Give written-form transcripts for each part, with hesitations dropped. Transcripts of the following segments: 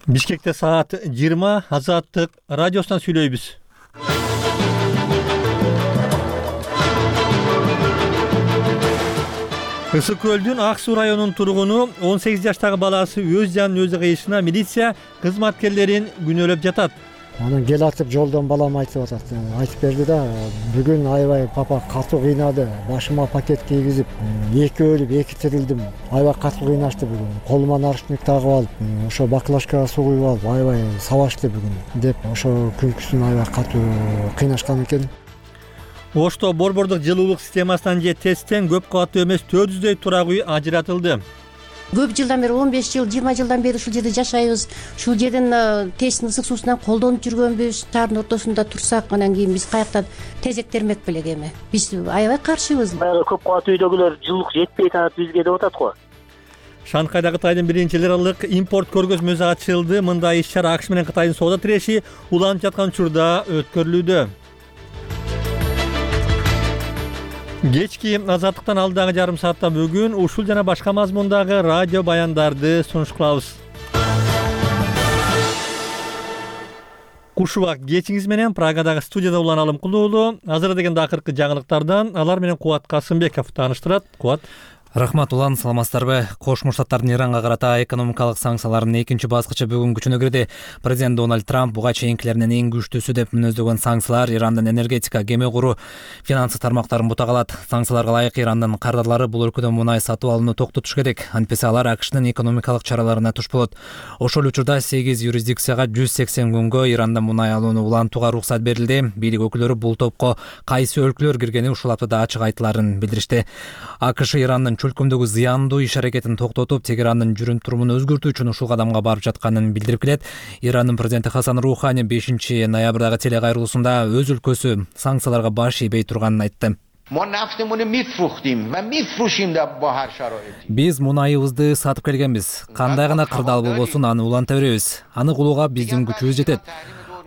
Бишкекте саат 20 Азаттык радиосунан сүйлөйбүз. Ысык көлдүн Ак Суу районунун тургуну 18 жаштагы баласы өз жанын өзү кыйышына милиция кызматкерлерин күнөөлөп жатат. Анан кел атып жолдон балам айтып атат. Айтып берди да, бүгүн аябай папа катуу кыйнады. Башыма пакет кийгизип, 2 өлүп 2 тирилдим. Аябай катуу кыйнашты бүгүн. Колума наручник тагып алып, ошо баклажкага суу куюп алып, аябай сабашты бүгүн деп ошо күнкүсүн аябай катуу кыйнашкан экен. Ошто борбордук жылуулук системасынан же ТЭСтен көп кабаттуу эмес 400дөй турак үй ажыратылды. Көп жылдан бери 15 жыл, 20 жылдан бери ушул жерде жашайбыз. Ушул жерден ТЭСтин ысык суусунан колдонуп жүргөнбүз. Таардын ортосунда турсак, анан кийин биз каяктан тезектермек белек эми. Биз аябай каршыбыз. Баягы көп кабаттуу үйдөгүлөр жылуулук жетпей атат бизге деп атат го. Шанхайда Кытайдын 1-эл аралык импорт көргөзмөсү ачылды. Мындай иш-чара АКШ менен Кытайдын соода тиреши уланып жаткан учурда өткөрүлүүдө. Кечки Азаттыктан алдагы жарым саатта бүгүн ушул жана башка мазмундагы радио баяндарды сунуш кылабыз. Куш убак кечиңиз менен Прагадагы студияда Улан Алымкулуулу. Азыр дегенде акыркы жаңылыктардан алар менен Кубат Касымбеков тааныштырат. Кубат. Рахмат Улан, саламатсыздарбы? Кошмо Штаттардын Иранга карата экономикалык санкцияларынын экинчи баскычы бүгүн күчүнө кирди. Президент Дональд Трамп буга чейинкилеринен эң күчтүүсү деп мүнөздөгөн санкциялар Ирандын энергетика, кеме куруу, финансы тармактарын бутагалат. Санкцияларга ылайык Ирандын кардарлары бул өлкөдөн мунай сатып алууну токтотуш керек. Антпесе алар АКШнын экономикалык чараларына туш болот. Ошол учурда 8 юрисдикцияга 180 күнгө Ирандан мунай алууну улантууга уруксат берилди. Бийлик өкүлдөрү бул топко кайсы өлкөлөр киргени ушул аптада ачык айтыларын билдиришти. АКШ Ирандын чөлкөмдөгү зыяндуу иш-аракетин токтотуп, Тегерандын жүрүм-турумун өзгөртүү үчүн ушул кадамга барып жатканын билдирип келет. Ирандын президенти Хасан Рухани 5 ноябрдагы телекайрылуусунда өз өлкөсү санкцияларга баш ийбей турганын айтты. Биз мунайыбызды сатып келгенбиз. Кандай гана кырдаал болбосун аны уланта беребиз. Аны кылууга биздин күчүбүз жетет.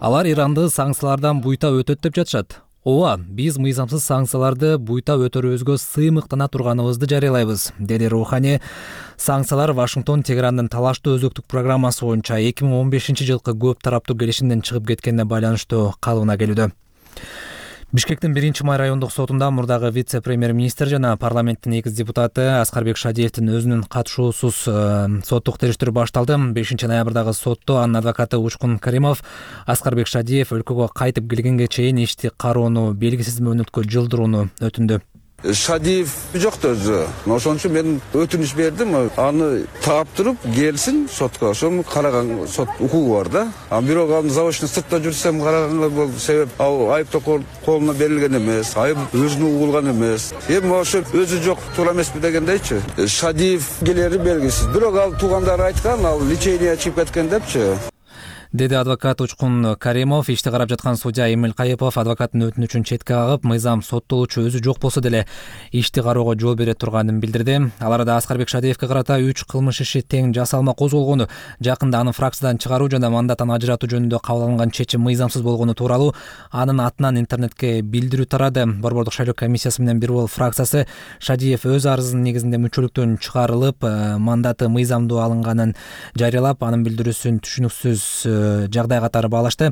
Алар Иранды санкциялардан буйта өтөт деп жатышат. Ооба, биз мыйзамсыз санкцияларды буйта өтөрүбүзгө сыймыктана турганыбызды жарыялайбыз, деди Рухани. Санкциялар Вашингтон Тегерандын талаштуу өзөктүк программасы боюнча 2015-жылкы көп тараптуу келишимден чыгып кеткенине байланыштуу калыбына келүүдө. Бишкектин 1-Май райондук сотунда мурдагы вице-премьер-министр жана парламенттин экс депутаты Аскарбек Шадиевдин өзүнүн катышуусуз соттук териштирүү башталды. 5 ноябрдагы сотто анын адвокаты Учкун Каримов Аскарбек Шадиев өлкөгө кайтып келгенге чейин ишти кароону белгисиз мөөнөткө жылдырууну өтүндү. Шадиев жокто өзү. Ошон үчүн мен өтүнүш бердим. Аны таптырып келсин сотко. Ошону караган сот укугу бар да. Бирок аны заочно сыртта жүрсөм караганга бул себеп айыптоо колуна берилген эмес. Айып өзүнө угулган эмес. Эми ошо өзү жок туура эмеспи дегендейчи. Шадиев келери белгисиз. Бирок ал туугандары айткан, ал лечение чыгып кеткен депчи. Деди адвокат Учкун Каримов. Ишти карап жаткан судья Эмил Кайыпов адвокаттын өтүнүчүн четке кагып, мыйзам соттолуучу өзү жок болсо деле ишти кароого жол бере турганын билдирди. Ал арада Аскарбек Шадиевке карата 3 кылмыш иши тең жасалма козголгону, жакында аны фракциядан чыгаруу жана мандаттан ажыратуу жөнүндө кабыл алынган чечим мыйзамсыз болгону тууралуу анын атынан интернетке билдирүү тарады. Борбордук шайлоо комиссиясы менен бир бол фракциясы Шадиев өз арызынын негизинде мүчөлүктөн чыгарылып, мандаты мыйзамдуу алынганын жарыялап, анын билдирүүсүн түшүнүксүз жагдай катары баалашты.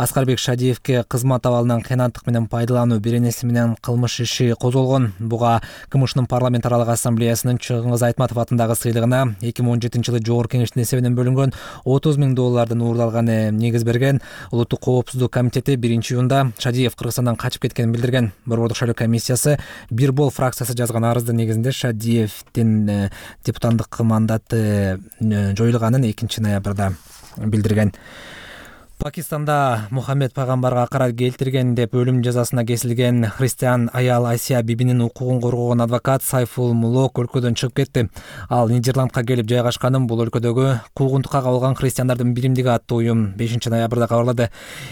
Аскарбек Шадиевке кызмат абалынан кыянаттык менен пайдалануу беренеси менен кылмыш иши козголгон. Буга КМШнын парламент аралык ассамблеясынын Чыңгыз Айтматов атындагы сыйлыгына 2017-жылы Жогорку Кеңештин эсебинен бөлүнгөн $30,000 уурдалганы негиз берген. Улуттук коопсуздук комитети 1-июнда Шадиев Кыргызстандан качып кеткенин билдирген. Борбордук шайлоо комиссиясы бир бол фракциясы жазган арыздын негизинде Шадиевдин депутаттык мандаты жоюлганын 2 ноябрда билдирген. Пакистанда Мухаммед пайгамбарга акарат келтирген деп өлүм жазасына кесилген христиан аял Асия бибинин укугун коргогон адвокат Сайфул Мулок өлкөдөн чыгып кетти. Ал Нидерландка келип жайгашканын бул өлкөдөгү куугунтукка кабылган христиандардын биримдиги аттуу уюм 5 ноябрда кабарлады.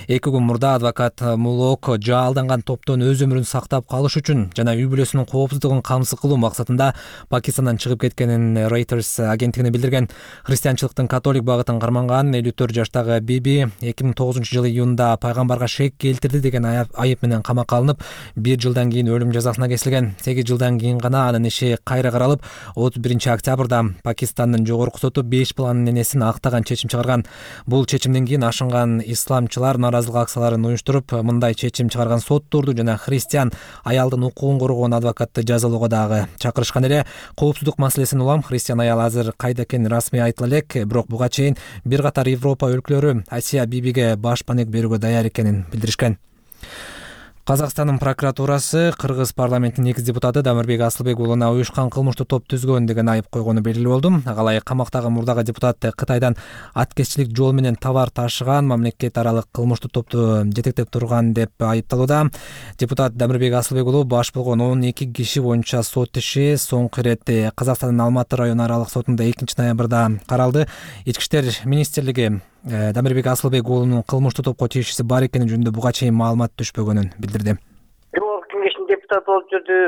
2 күн мурда адвокат Мулок жаалданган топтон өз өмүрүн сактап калыш үчүн жана үй бүлөсүнүн коопсуздугун камсыз кылуу максатында Пакистандан чыгып кеткенин Reuters агенттигине билдирген. Христианчылыктын католик багытын карманган 54 жаштагы биби 2009-жылы июнда пайгамбарга шек келтирди деген айып менен камакка алынып, 1 жылдан кийин өлүм жазасына кесилген. 8 жылдан кийин гана анын иши кайра каралып, 31-октябрда Пакистандын жогорку соту 5 баланын энесин актаган чечим чыгарган. Бул чечимден кийин ашынган исламчылар нааразылык акцияларын уюштуруп, мындай чечим чыгарган сотторду жана христиан аялдын укугун коргоон адвокатты жазалоого дагы чакырышкан эле. Коопсуздук маселесин улам христиан аял азыр кайда экени расмий айтыла элек, бирок буга чейин бир катар Европа өлкөлөрү Асия Бибиге башпаник берүүгө даяр экенин билдиришкен. Казакстандын прокуратурасы Кыргыз парламентинин 2 депутаты Дамирбек Асылбек уулуна уюшкан кылмыштуу топ түзгөн деген айып койгону белгилүү болду. Алай камактагы мурдагы депутат Кытайдан аткезчилик жол менен товар ташыган, мамлекет аралык кылмыштуу топту жетектеп турган деп айыпталууда. Депутат Дамирбек Асылбек уулу баш болгон 12 киши боюнча сот иши соңку ирет Казакстандын Алматы району аралык сотунда 2-ноябрда каралды. Ички иштер министрлиги Дамирбек Асылбек уулунун кылмыштуу топко тиешеси бар экени жөнүндө буга чейин маалымат түшпөгөнүн билдирди. Жогорку кеңештин депутаты болуп жүрдү.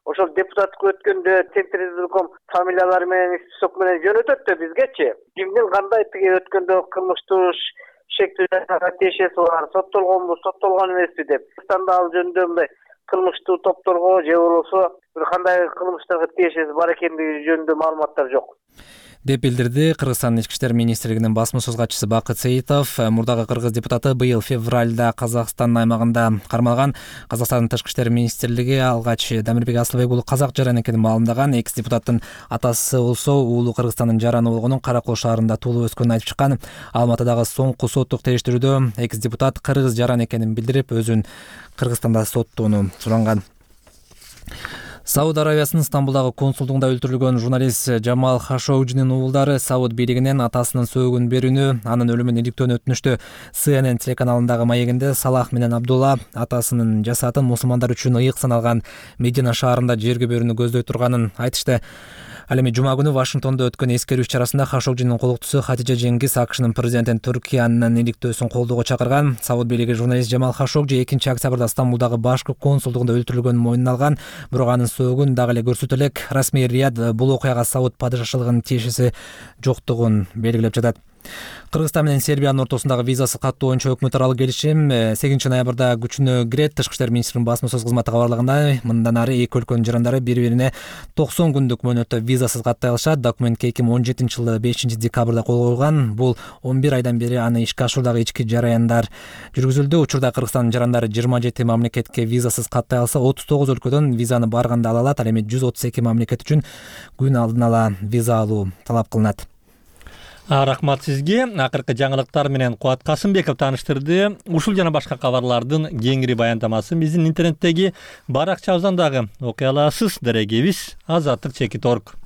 Ошол депутаттыкка өткөндө Центризм фамилиялары менен список менен жөнөтөт да бизгечи. Кимдин кандай тиги өткөндө кылмыштуу шектүү жасаган тиешеси бар, соттолгонбу, соттолгон эмеспи деп. Казакстанда ал жөнүндө мындай кылмыштуу топторго же болбосо бир кандай кылмыштарга тиешеси бар экендиги жөнүндө маалыматтар жок деп билдирди Кыргызстандын ички иштер министрлигинин басма-сөз катчысы Бакыт Сейитов. Мурдагы кыргыз депутаты быйыл февралда Казакстандын аймагында кармалган. Казакстандын тышкы иштер министрлиги алгач Дамирбек Асылбек уулу казак жаран экенин маалымдаган. Экс депутаттын атасы болсо уулу Кыргызстандын жараны болгонун Кара Кол шаарында туулуп өскөнүн айтып чыккан. Алматыдагы соңку соттук териштирүүдө экс депутат кыргыз жаран экенин билдирип, өзүн Кыргызстанда соттоону суранган. Сауд Арабиясынын Стамбулдагы консулдугунда өлтүрүлгөн журналист Жамал Хашогжинин уулдары Сауд бийлигинен атасынын сөөгүн берүүнү, анын өлүмүн иликтөөнү өтүнүштү. CNN телеканалындагы маегинде Салах менен Абдулла атасынын жасатын мусулмандар үчүн ыйык саналган Медина шаарында жерге берүүнү көздөй турганын айтышты. Ал эми жума күнү Вашингтондо өткөн эскерүү иш-чарасында Хашогжинин колуктусу Хатижа Жеңгиз АКШнын президентин Түркиянын иликтөөсүн колдоого чакырган. Сауд бийлиги журналист Жамал Хашогжи 2-октябрда Стамбулдагы башкы консулдугунда өлтүрүлгөнүн мойнуна алган, бирок анын сөөгүн дагы эле көрсөтө элек. Расмий Рияд бул окуяга Сауд падышалыгынын тиешеси жоктугун белгилеп жатат. Кыргызстан менен Сербиянын ортосундагы визасыз каттоо боюнча өкмөт аралык келишим 8-ноябрда күчүнө кирет. Тышкы иштер министринин басма-сөз кызматы кабарлагандай, мындан ары эки өлкөнүн жарандары бири-бирине 90 күндүк мөөнөттө визасыз каттай алышат. Документке 2017-жылы 5-декабрда кол коюлган. Бул 11 айдан бери аны ишке ашыруудагы ички жараяндар жүргүзүлдү. Учурда Кыргызстандын жарандары 27 мамлекетке визасыз каттай алса, 39 өлкөдөн визаны барганда ала алат. Ал эми 132 мамлекет үчүн күн алдын ала виза алуу талап кылынат. Рахмат сизге. Акыркы жаңылыктар менен Кубат Касымбеков тааныштырды. Ушул жана башка кабарлардын кеңири баяндамасын биздин интернеттеги баракчабыздан дагы окуй аласыз. Дарегебиз azatlyk.org.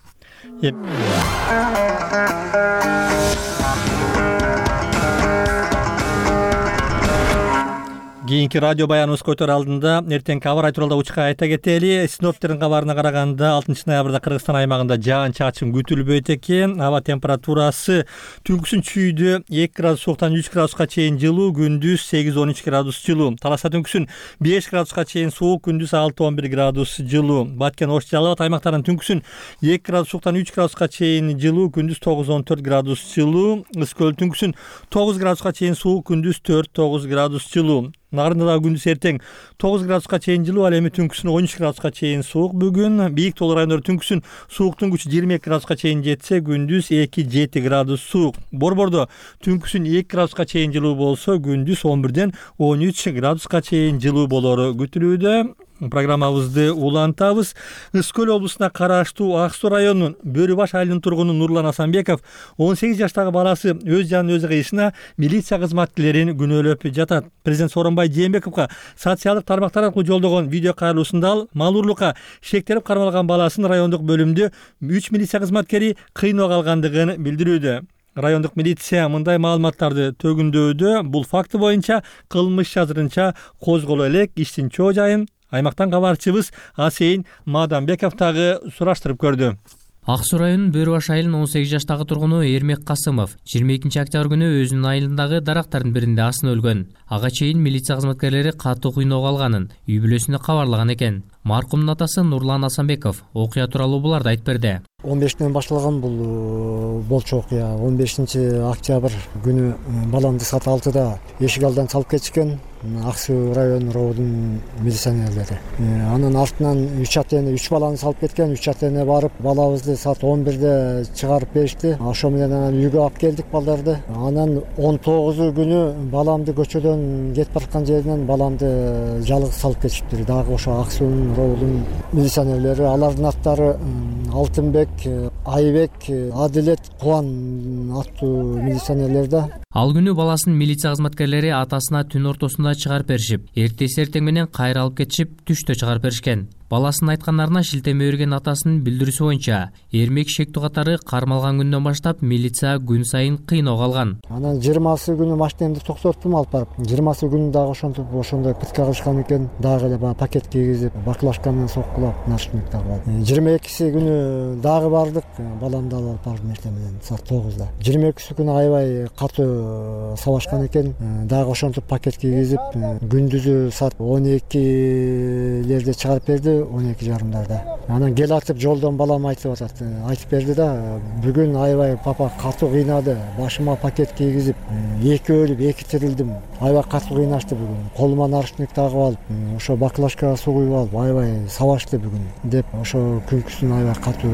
Кийинки радио баяныбыз көтөр алдында эртең кабар тууралуу учка айта кетели. Синоптиктердин кабарына караганда 6-ноябрда Кыргызстан аймагында жаан-чачын күтүлбөйт экен. Аба температурасы түнкүсүн чүйдө 2 градус сууктан 3 градуска чейин жылуу, күндүз 8-13 градус жылуу. Таласта түнкүсүн 5 градуска чейин суук, күндүз 6-11 градус жылуу. Баткен, Ош, Жалал Абад аймактарынын түнкүсүн 2 градус сууктан 3 градуска чейин жылуу, күндүз 9-14 градус жылуу. Ысык көл түнкүсүн 9 градуска чейин суук, күндүз 4-9 градус жылуу. Нарында дагы күндүз эртең 9 градуска чейин жылуу, ал эми түнкүсүн 13 градуска чейин суук. Бүгүн бийик тоолуу райондор түнкүсүн сууктун күчү 22 градуска чейин жетсе, күндүз 2-7 градус суук. Борбордо түнкүсүн 2 градуска чейин жылуу болсо, күндүз 11-ден 13 градуска чейин жылуу болору күтүлүүдө. Программабызды улантабыз. Ысык көл облусуна караштуу Ак Суу районунун Бөрү баш айылынын тургуну Нурлан Асанбеков 18 жаштагы баласы өз жанын өзү кыйышына милиция кызматкерлерин күнөөлөп жатат. Президент Сооронбай Жээнбековго социалдык тармактар аркылуу жолдогон видео кайрылуусунда ал малуурлукка шектелип кармалган баласын райондук бөлүмдө 3 милиция кызматкери кыйноого алгандыгын билдирүүдө. Райондук милиция мындай маалыматтарды төгүндөүүдө. Бул факты боюнча кылмыш азырынча козголо элек. Иштин чоо жайын аймактан кабарчыбыз Асейин Маданбеков дагы сураштырып көрдү. Ак Суу районунун Бөрү баш айылынын 18 жаштагы тургуну Эрмек Касымов 22-октябрь күнү өзүнүн айылындагы дарактардын биринде асынып өлгөн. Ага чейин милиция кызматкерлери катуу кыйноого алганын үй бүлөсүнө кабарлаган экен. Маркумдун атасы Нурлан Асанбеков окуя тууралуу буларды айтып берди. 15-тен башталган бул болчу окуя. 15-октябрь күнү баламды саат 6-да эшик алдынан салып кетишкен Ак Суу район робудун милиционерлери. Анын артынан 3 баланы салып кеткен. 3 атене барып, балабызды саат 11-де чыгарып беришти. Ошо менен анан үйгө алып келдик балдарды. Анан 19 күнү баламды көчөдөн кетип бараткан жеринен баламды жалгыз салып кетишиптир. Дагы ошо Ак Суунун робудун милиционерлери. Алардын аттары Алтынбек, Айбек, Адилет, Кубан аттуу милиционерлер да. Ал күнү баласын милиция кызматкерлери атасына түн ортосунда чыгарып беришип, эртең менен кайра алып кетишип, түштө чыгарып беришкен. Баласынын айткандарына шилтеме берген атасынын билдирүүсү боюнча, Эрмек Шектүү катары кармалган күндөн баштап милиция күн сайын кыйноого алган. Анан 20 күнү машинемди токтоттум алып барып. 20 күнү дагы ошондой пытка кылышкан экен. Дагы эле пакет кийгизип, баклажка менен соккулап, наручник тагып. 22 күнү дагы бардык. Баламды алып бардым эртең менен саат 9-да. 22 күнү аябай катуу сабашкан экен. Дагы ошентип пакет кийгизип, күндүзү саат 12-лерде чыгарып берди. 12:30. Анан кел атып жолдон балам айтып берди да, бүгүн аябай папа катуу кыйнады, башыма пакет кийгизип, 2 өлүп 2 тирилдим. Аябай катуу кыйнашты бүгүн. Колума наручник тагып алып, ошо баклажкага суу куюп алып, аябай сабашты бүгүн деп ошо күнкүсүн аябай катуу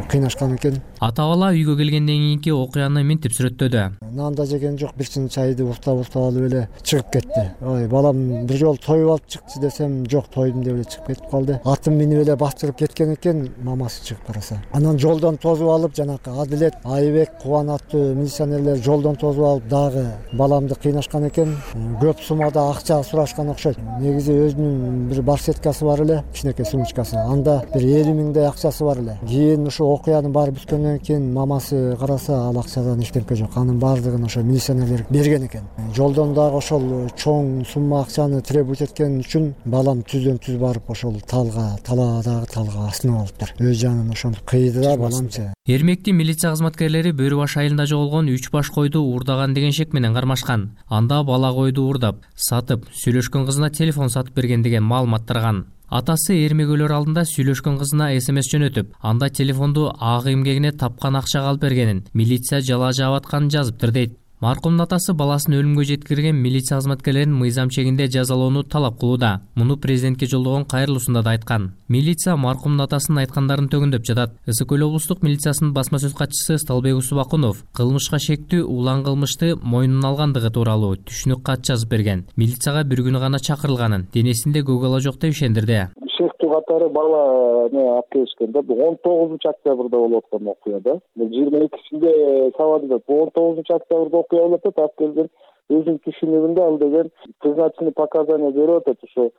кыйнашкан экен. Ата-бала үйгө келгенден кийинки окуяны минтип сүрөттөдү. Нан да жеген жок, бир чин чайды уктап алып эле чыгып кетти. Ой, балам бир жолу тоюп алып чыкчы десем, жок, тойдум деп эле чыгып кетип калды. Атын минип эле бастырып кеткен экен, мамасы чыгып караса. Анан жолдон тосуп алып, жанакы Адилет, Айбек, Кубан аттуу милиционерлер жолдон тосуп алып, дагы баламды кыйнашкан экен. Көп суммада акча сурашкан окшойт. Негизи өзүнүн бир барсеткасы бар эле, кичинекей сумочкасы. Анда бир 50 миңдей акчасы бар эле. Кийин ошо окуянын баары бүткөндөн кийин мамасы караса, ал акчадан эчтеке жок. Анын баардыгын ошо милиционерлер берген экен. Жолдон дагы ошол чоң сумма акчаны требовать эткен үчүн балам түздөн түз барып ошол талаадагы талга асынып алыптыр. Өз жанын ошентип кыйды да баламчы. Эрмекти милиция кызматкерлери Бөрү баш айылында жоголгон 3 баш койду уурдаган деген шек менен кармашкан. Анда бала койду уурдап, сатып, сүйлөшкөн кызына телефон сатып берген деген маалымат тараган. Атасы Эрмек өлөр алдында сүйлөшкөн кызына СМС жөнөтүп, анда телефонду ак эмгегине тапкан акчага алып бергенин, милиция жала жаап атканын жазыптыр дейт. Маркумдун атасы баласын өлүмгө жеткирген милиция кызматкерлерин мыйзам чегинде жазалоону талап кылууда. Муну президентке жолдогон кайрылуусунда да айткан. Милиция маркумдун атасынын айткандарын төгүндөп жатат. Ысык көл облустук милициясынын басма сөз катчысы Сталбек Усубакунов кылмышка шектүү улан кылмышты мойнуна алгандыгы тууралуу түшүнүк кат жазып берген. Милицияга бир күнү гана чакырылганын, денесинде көк ала жок деп ишендирди. Шектүү катары бала алып келишкен да. 19-октябрда болуп аткан окуя да. 22-синде сабады. 19-октябрда окуя болуп атат, алып келген өзүнүн түшүнүгүндө ал деген призначенный показания берип атат, ошо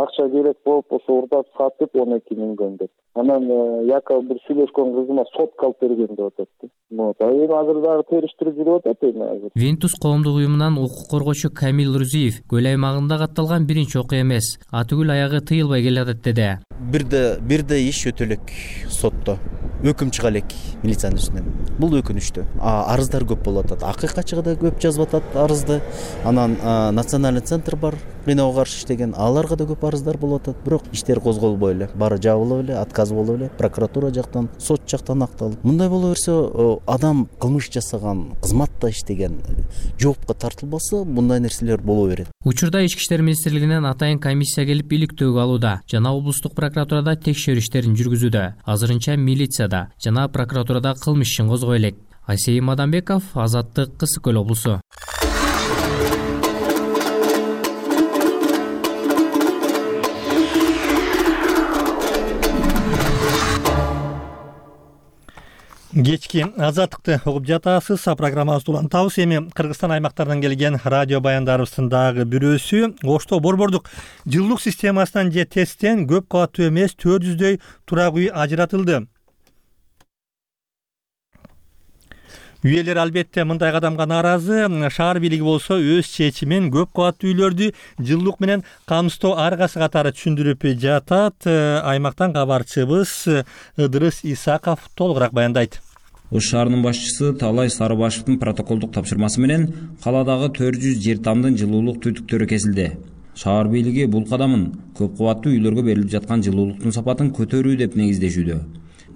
акча керек болуп, ошо урдап сатып 12 миңден деп. Анан якобы бир сүйлөшкөн кызыма сотка алып берген деп атат. Эми азыр дагы териштирип жүрүп атат эми азыр. Винтус коомдук уюмунан укук коргоочу Камил Рузиев көл аймагында катталган биринчи окуя эмес, атүгүл аягы тыйылбай келатат деди. Бирде иш өтө элек сотто. Өкүм чыга элек милициянын үстүнөн. Бул өкүнүчтүү. Арыздар көп болуп атат. АККчыга да көп жазып атат арызды. Анан национальный центр бар, кыйноого каршы иштеген, аларга да көп арыздар болуп атат. Бирок иштер козголбой эле, баары жабылып эле, отказ болуп эле, прокуратура жактан, сот жактан акталып. Мындай боло берсе, адам кылмыш жасаган, кызматта иштеген, жоопко тартылбаса, мындай нерселер боло берет. Учурда Ички иштер министрлигинен атайын комиссия келип иликтөөгө алууда жана облустук прокуратурада текшерүү иштерин жүргүзүүдө. Азырынча милицияда жана прокуратурада кылмыш ишин козгой элек. Айсейим Мадамбеков, Азаттык, Ысык көл облусу. Кечки Азаттыкты угуп жатасыз. Программабызды улантабыз. Эми Кыргызстан аймактарынан келген радио баяндарыбыздын дагы бирөөсү Ошто борбордук жылуулук системасынан же ТЭСтен көп кабаттуу эмес 400дөй турак үй ажыратылды. Үйелер албетте мындай кадамга нааразы. Шаар бийлиги болсо өз чечимин көп кабаттуу үйлөрдү жылуулук менен камсыздоо аргасы катары түшүндүрүп жатат. Аймактан кабарчыбыз Ыдырыс Исаков толугураак баяндайт. Ош шаарынын башчысы Таалай Сарыбашевдин протоколдук тапшырмасы менен каладагы 400 жер тамдын жылуулук түтүктөрү кесилди. Шаар бийлиги бул кадамын көп кабаттуу үйлөргө берилип жаткан жылуулуктун сапатын көтөрүү деп негиздешүүдө.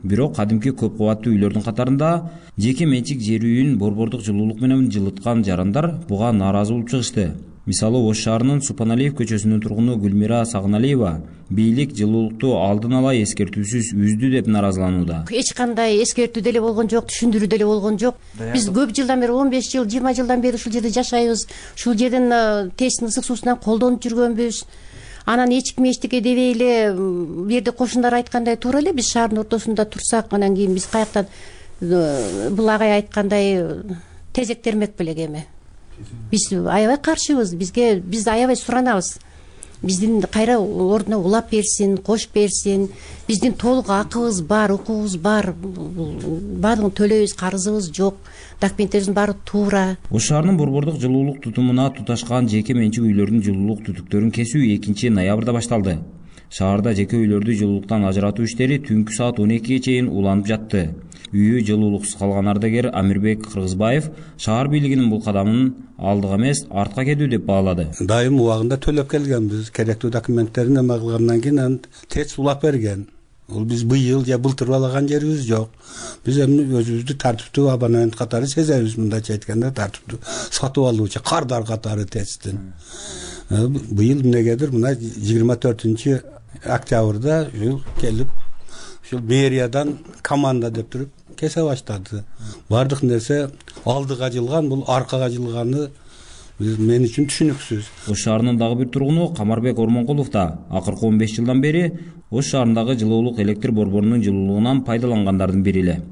Бирок кадимки көп кабаттуу үйлөрдүн катарында жеке менчик жер үйүн борбордук жылуулук менен жылыткан жарандар буга нааразы болуп чыгышты. Мисалы Ош шаарынын Супаналиев көчөсүнүн тургуну Гүлмира Сагыналиева бийлик жылуулукту алдын ала эскертүүсүз үздү деп нааразыланууда. Эч кандай эскертүү деле болгон жок, түшүндүрүү деле болгон жок. Биз көп жылдан бери 15 жыл, 20 жылдан бери ушул жерде жашайбыз. Ушул жердин тесттин ысык суусунан колдонуп жүргөнбүз. Анан эч ким эчтеке дебей эле бул жерде кошундар айткандай туура эле биз шаардын ортосунда турсак, анан кийин биз каяктан бул агай айткандай тезектермек белек эми. Биз аябай каршыбыз. Биз аябай суранабыз. Биздин кайра ордуна улап берсин, кош берсин. Биздин толук акыбыз бар, укугубуз бар. Баардыгын төлөйбүз, карызыбыз жок. Документтерибиздин баары туура. Ош шаарынын борбордук жылуулук тутумуна туташкан жеке менчик үйлөрдүн жылуулук түтүктөрүн кесүү 2-ноябрда башталды. Шаарда жеке үйлөрдү жылуулуктан ажыратуу иштери түнкү саат 12-ге чейин уланып жатты. Үйү жылуулуксуз калган ардагер Амирбек Кыргызбаев шаар бийлигинин бул кадамын алдыга эмес, артка кетүү деп баалады. Дайым убагында төлөп келгенбиз. Керектүү документтерин эме кылгандан кийин ТЭЦ улап берген. Бул биз быйыл же былтыр алаган жерибиз жок. Биз эми өзүбүздү тартиптүү абонент катары сезебиз, мындайча айтканда тартиптүү сатып алуучу кардар катары ТЭЦтин. Быйыл эмнегедир мына 24 октябрда келип ушул мэриядан команда деп туруп кесе баштады. Бардык нерсе алдыга жылган, бул аркага жылганы мен үчүн түшүнүксүз. Ош шаарынын дагы бир тургуну Камарбек Ормонкулов да акыркы 15 жылдан бери Ош шаарындагы жылуулук электр борборунун жылуулугунан пайдалангандардын бири эле.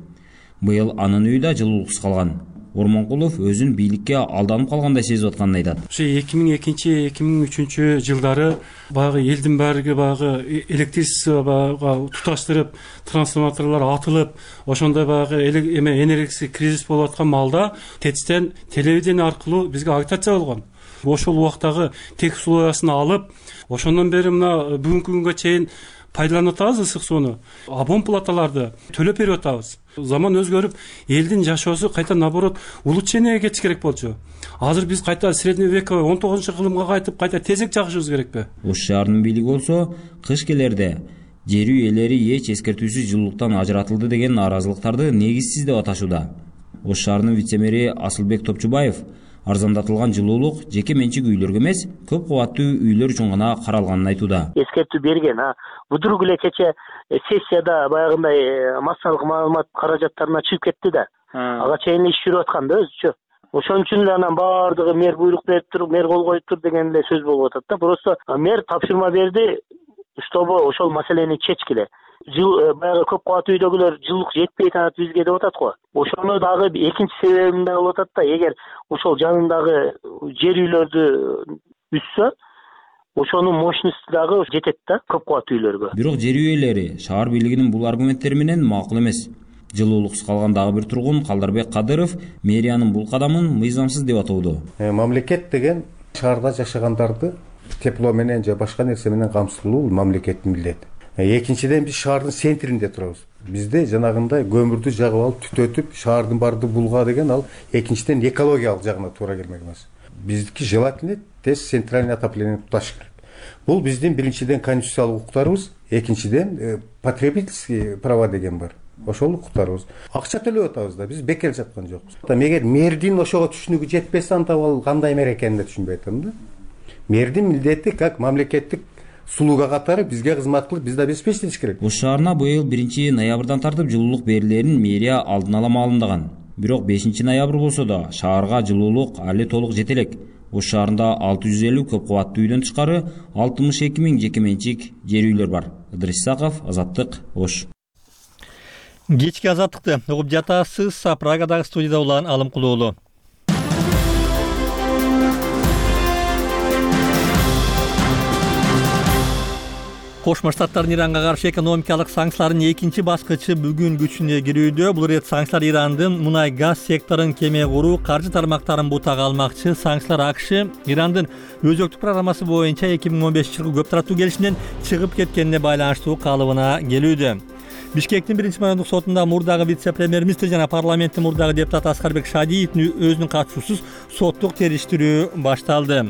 Быйыл анын үйү да жылуулуксуз калган. Ормонкулов өзүн бийликке алданып калгандай сезип атканын айтат. Ошо 2002-2003 жылдары баягы элдин баардыгы баягы электричество баягы туташтырып, трансформаторлор атылып, ошондой баягы энергетик кризис болуп аткан маалда ТЭЦтен телевидение аркылуу бизге агитация болгон. Ошол убактагы тек условиясын алып, ошондон бери мына бүгүнкү күнгө чейин пайдаланып атабыз ысык сууну. Абон платаларды төлөп берип атабыз. Заман өзгөрүп, элдин жашоосу кайта наоборот улучшениеге кетиш керек болчу. Азыр биз кайта средневековый 19-кылымга кайтып, кайта тезек жагышыбыз керекпи? Ош шаарынын бийлиги болсо, кыш келерде жер үй ээлери эч эскертүүсүз жылуулуктан ажыратылды деген нааразылыктарды негизсиз деп аташууда. Ош шаарынын вице-мэри Асылбек Топчубаев арзандатылган жылуулук жеке менчик үйлөргө эмес, көп кабаттуу үйлөр үчүн гана каралганын айтууда. Эскертүү берген, будурук эле кече сессияда баягындай массалык маалымат каражаттарына чыгып кетти да. Ага чейин иш жүрүп аткан да өзүчө. Ошон үчүн эле анан баардыгы мэр буйрук берип туруп, мэр кол коюп тур деген эле сөз болуп атат да. Просто мэр тапшырма берди, чтобы ошол маселени чечкиле. Баягы көп кабаттуу үйдөгүлөр жылуулук жетпей атат бизге деп атат го. Ошону дагы экинчи себебин да болуп атат да. Эгер ошол жанындагы жер үйлөрдү үссө, ошонун мощности дагы жетет да көп кабаттуу үйлөргө. Бирок жер үйлери шаар бийлигинин бул аргументтери менен макул эмес. Жылуулуксуз калган дагы бир тургун Калдарбек Кадыров мэриянын бул кадамын мыйзамсыз деп атоодо. Мамлекет деген шаарда жашагандарды тепло менен же башка нерсе менен камсыздоо мамлекеттин милдети. Экинчиден биз шаардын центринде турабыз. Бизде жанагындай көмүрдү жагып алып түтөтүп шаардын барды булга деген ал экинчиден экологиялык жагына туура келмек эмес. Биздики желательно тез центральный отопление туташ керек. Бул биздин биринчиден конституциялык укуктарыбыз, экинчиден потребительский права деген бар. Ошол укуктарыбыз. Акча төлөп атабыз да, биз бекер жаткан жокпуз. Эгер мэрдин ошого түшүнүгү жетпесе, анда ал кандай мэр экенин да түшүнбөй атам да. Мэрдин милдети как мамлекеттик сулууга катары бизге кызмат кылып, бизди обеспечить керек. Ош шаарына быйыл 1-ноябрдан тартып жылуулук берилерин мэрия алдын ала маалымдаган. Бирок 5-ноябрь болсо да шаарга жылуулук али толук жете элек. Ош шаарында 650 көп кабаттуу үйдөн тышкары 62 000 жеке менчик жер үйлөр бар. Ыдырыс Исаков, Азаттык, Ош. Кечки азаттыкты угуп жатасыз. Прагадагы студияда улан Алымкулуу уулу. Кошмо Штаттардын Иранга каршы экономикалык санкциялардын экинчи баскычы бүгүн күчүнө кирүүдө. Бул рет санкциялар Ирандын мунай газ секторун кеме куруу, каржы тармактарын бутага алмакчы. Санкциялар АКШ Ирандын өзөктүк программасы боюнча 2015-жылкы көп тараптуу келишимден чыгып кеткенине байланыштуу калыбына келүүдө. Бишкектин 1-райондук сотунда мурдагы вице-премьер-министр жана парламенттин мурдагы депутаты Аскарбек Шадиевдин өзүнүн катышуусуз соттук териштирүү башталды.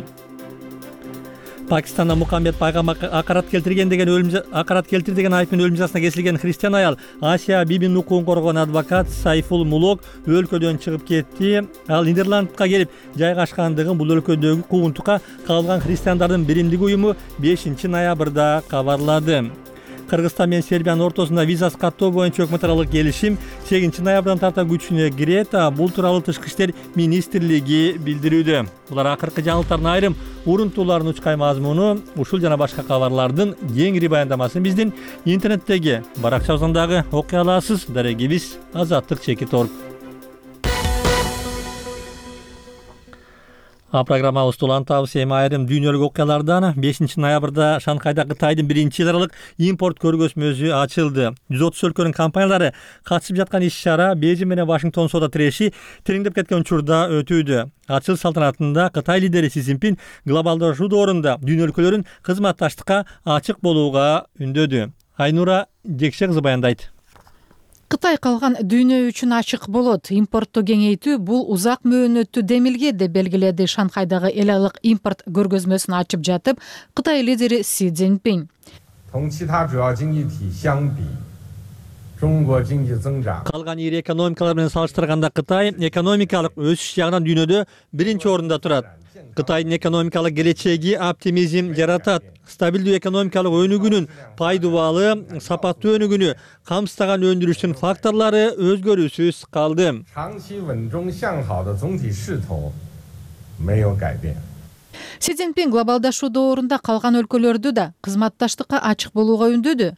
Пакистанда Мухаммед пайгамбар акарат келтирди деген айып менен өлүм жазасына кесилген христиан аял Асия Бибинин укугун коргогон адвокат Сайфул Мулок өлкөдөн чыгып кетти. Ал Нидерландка келип жайгашкандыгын бул өлкөдөгү куугунтукка кабылган христиандардын биримдиги уюму 5-ноябрда кабарлады. Кыргызстан менен Сербиянын ортосунда визасыз каттоо боюнча өкмөт аралык келишим 8-ноябрдан тарта күчүнө кирет. Бул тууралуу Тышкы иштер министрлиги билдирүүдө. Булар акыркы жаңылыктардын айрым урунтууларын учкай мазмуну. Ушул жана башка кабарлардын кеңири баяндамасын биздин интернеттеги баракчабыздан дагы окуй аласыз. Дарегибиз Азаттык чекит орг. Программабызды улантабыз. Эми айрым дүйнөлүк окуялардан 5-ноябрда Шанхайда Кытайдын 1-эл аралык импорт көргөзмөсү ачылды. 130 өлкөнүн компаниялары катышып жаткан иш-чара Бейжиң менен Вашингтон соода тиреши тереңдеп кеткен учурда өтүүдө. Ачыл салтанатында Кытай лидери Си Цзиньпин глобалдашуу доорунда дүйнө өлкөлөрүн кызматташтыкка ачык болууга үндөдү. Айнура Жекше кызы баяндайт. Кытай калган дүйнө үчүн ачык болот. Импортту кеңейтүү бул узак мөөнөттүү демилге деп белгиледи Шанхайдагы эл аралык импорт көргөзмөсүн ачып жатып Кытай лидери Си Цзиньпин. Калган ири экономикалар менен салыштырганда Кытай экономикалык өсүш жагынан дүйнөдө 1-орунда турат. Кытайдын экономикалык келечеги оптимизм жаратат. Стабилдүү экономикалык өнүгүүнүн пайдубалы, сапаттуу өнүгүүнү камсыздаган өндүрүштүн факторлору өзгөрүүсүз калды. Си Цзиньпин глобалдашуу доорунда калган өлкөлөрдү да кызматташтыкка ачык болууга үндөдү.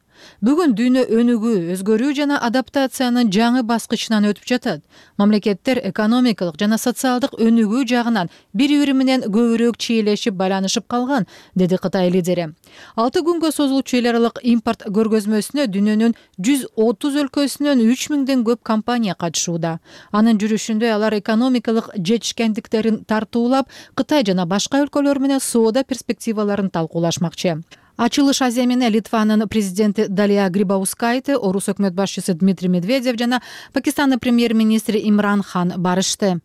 Бүгүн дүйнө өнүгүү, өзгөрүү жана адаптациянын жаңы баскычынан өтүп жатат. Мамлекеттер экономикалык жана социалдык өнүгүү жагынан бири-бири менен көбүрөөк чийлешип, байланышып калган, деди Кытай лидери. 6 күнгө созулуучу эл аралык импорт көргөзмөсүнө дүйнөнүн 130 өлкөсүнөн 3000ден көп компания катышууда. Анын жүрүшүндө алар экономикалык жетишкендиктерин тартуулап, Кытай жана башка өлкөлөр менен соода перспективаларын талкуулашмакчы. Ачылыш Азия менен Литванын президенти Далия Грибаускайте, Орус өкмөт башчысы Дмитрий Медведев жана Пакистандын премьер-министри Имран Хан барышты.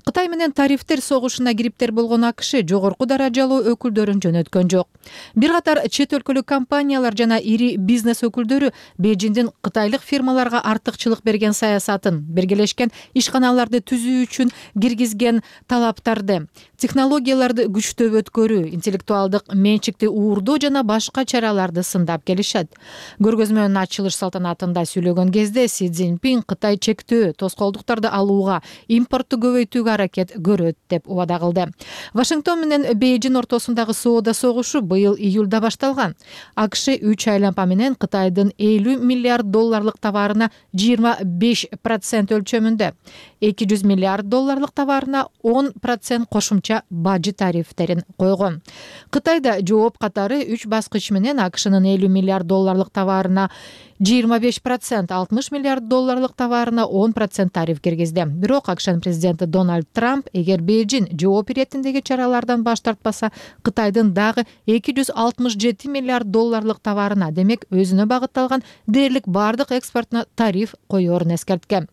Кытай менен тарифтер согушуна кириптер болгон АКШ жогорку даражалуу өкүлдөрүн жөнөткөн жок. Бир катар чет өлкөлүк компаниялар жана ири бизнес өкүлдөрү Бейжиңдин кытайлык фирмаларга артыкчылык берген саясатын, биргелешкен ишканаларды түзүү үчүн киргизген талаптарды, технологияларды күчтөп өткөрүү, интеллектуалдык менчикти уурдоо жана башка чараларды сындап келишет. Көргөзмөнүн ачылыш салтанатында сүйлөгөн кезде Си Цзиньпин Кытай чектөө, тоскоолдуктарды алууга, импортту көбөйтүүгө аракет көрөт деп убада кылды. Вашингтон менен Бейжиң ортосундагы соода согушу быйыл июлда башталган. АКШ 3 айлампа менен Кытайдын 50 миллиард долларлык товарына 25% өлчөмүндө, 200 миллиард долларлык товарына 10% кошумча бажы тарифтерин койгон. Кытайда жооп катары 3 баскыч менен АКШнын 50 миллиард долларлык товарына 25%, 60 миллиард долларлык товарына 10% тариф киргизди. Бирок АКШнын президенти Дональд Трамп эгер Бейжиң жооп иретиндеги чаралардан баш тартпаса, Кытайдын дагы 267 миллиард долларлык товарына, демек өзүнө багытталган дээрлик бардык экспортуна тариф коерун эскерткен.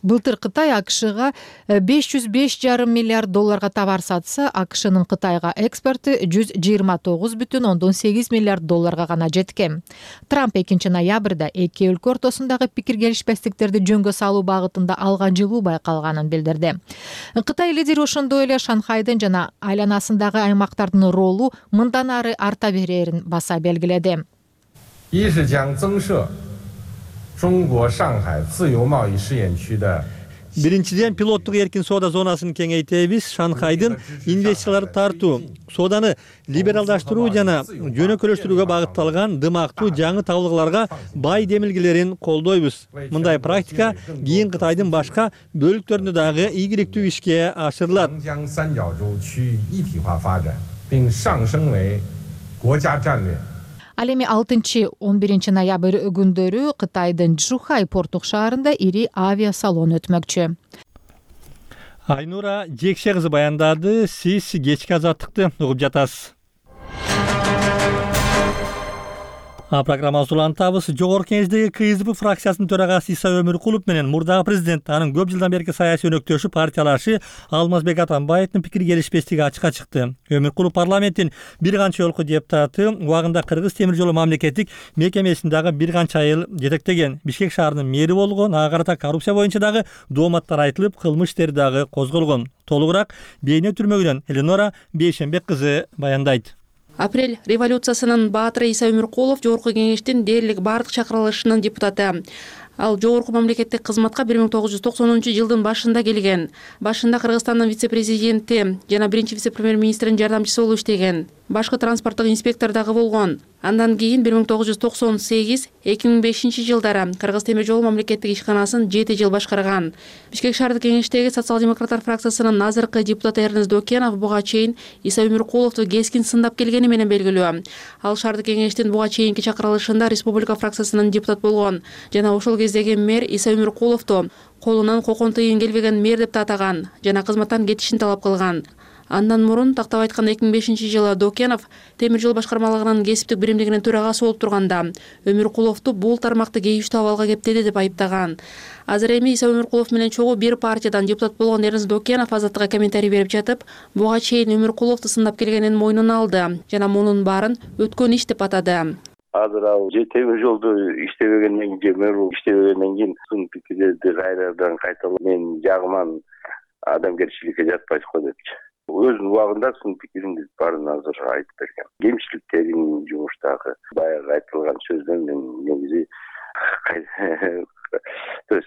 Былтыр Кытай АКШга 505,5 миллиард долларга товар сатса, АКШнын Кытайга экспорту 129,8 миллиард долларга гана жеткен. Трамп 2-ноябрда эки өлкө ортосундагы пикир келишпестиктерди жөнгө салуу багытында алган жылуу байкалганын билдирди. Кытай лидери ошондой эле Шанхайдын жана айланасындагы аймактардын ролу мындан ары арта берерин баса белгиледи. Биринчиден пилоттук эркин соода зонасын кеңейтебиз, Шанхайдын инвестицияларды тартуу, сооданы либералдаштыруу жана жөнөкөйлөштүрүүгө багытталган дымактуу жаңы табылгаларга бай демилгелерин колдойбуз. Мындай практика кийин Кытайдын башка бөлүктөрүндө дагы ийгиликтүү ишке ашырылат. Ал эми 6-11 ноябрь күндөрү Кытайдын Чжухай порттук шаарында ири авиасалон өтмөкчү. Айнура Жекше кызы баяндады. Сиз кечки азаттыкты угуп жатасыз. Программабызды улантабыз. Жогорку Кеңештеги КСДП фракциясынын төрагасы Иса Өмүркулов менен мурдагы президент, анын көп жылдан берки саясий өнөктөшү партиялашы Алмазбек Атамбаевдин пикир келишпестиги ачыкка чыкты. Өмүркулов парламенттин бир канча жолку депутаты, убагында Кыргыз темир жолу мамлекеттик мекемесин дагы бир канча айыл жетектеген. Бишкек шаарынын мэри болгон, ага карата коррупция боюнча дагы дооматтар айтылып, кылмыш иштери дагы козголгон. Толугураак Бейне түрмөгүнөн Эленора Бейшенбек кызы баяндайт. Апрель революциясынын баатыры Иса Өмүркулов Жогорку Кеңештин дээрлик бардык чакырылышынын депутаты. Ал жогорку мамлекеттик кызматка 1990-жылдын башында келген. Башында Кыргызстандын вице-президенти жана биринчи вице-премьер-министринин жардамчысы болуп иштеген. Башкы транспорттук инспектор дагы болгон. Андан кийин 1998-2005 жылдары Кыргыз темир жолу мамлекеттик ишканасын 7 жыл башкарган. Бишкек шаардык кеңештеги социал-демократтар фракциясынын азыркы депутаты Эрнест Докенов буга чейин Иса Өмүркуловду кескин сындап келгени менен белгилүү. Ал шаардык кеңештин буга чейинки чакырылышында республика фракциясынын депутат болгон жана ошол кездеги мэр Иса Өмүркуловду колунан кокон тыйын келбеген мэр деп атаган жана кызматтан кетишин талап кылган. Андан мурун тактап айтканда 2005 жылы Докенов темир жол башкармалыгынын кесиптик биримдигинин төрагасы болуп турганда Өмүркуловду бул тармакты кейиштүү абалга кептеди деп айыптаган. Азыр эми Иса Өмүркулов менен чогуу бир партиядан депутат болгон Эрнест Докенов Азаттыкка комментарий берип жатып, буга чейин Өмүркуловду сындап келгенин мойнуна алды жана мунун баарын өткөн иш деп атады. Азыр ал темир жолду иштебегенден кийин, мэр иштебегенден кийин сын пикирлерди кайрадан кайталап мен жагыман адамгерчиликке жатпайт го депчи. Өзүнүн убагында сын пикириңиз баарын азыр айтып берген. Кемчиликтерин жумуштагы баягы айтылган сөздөн мен негизи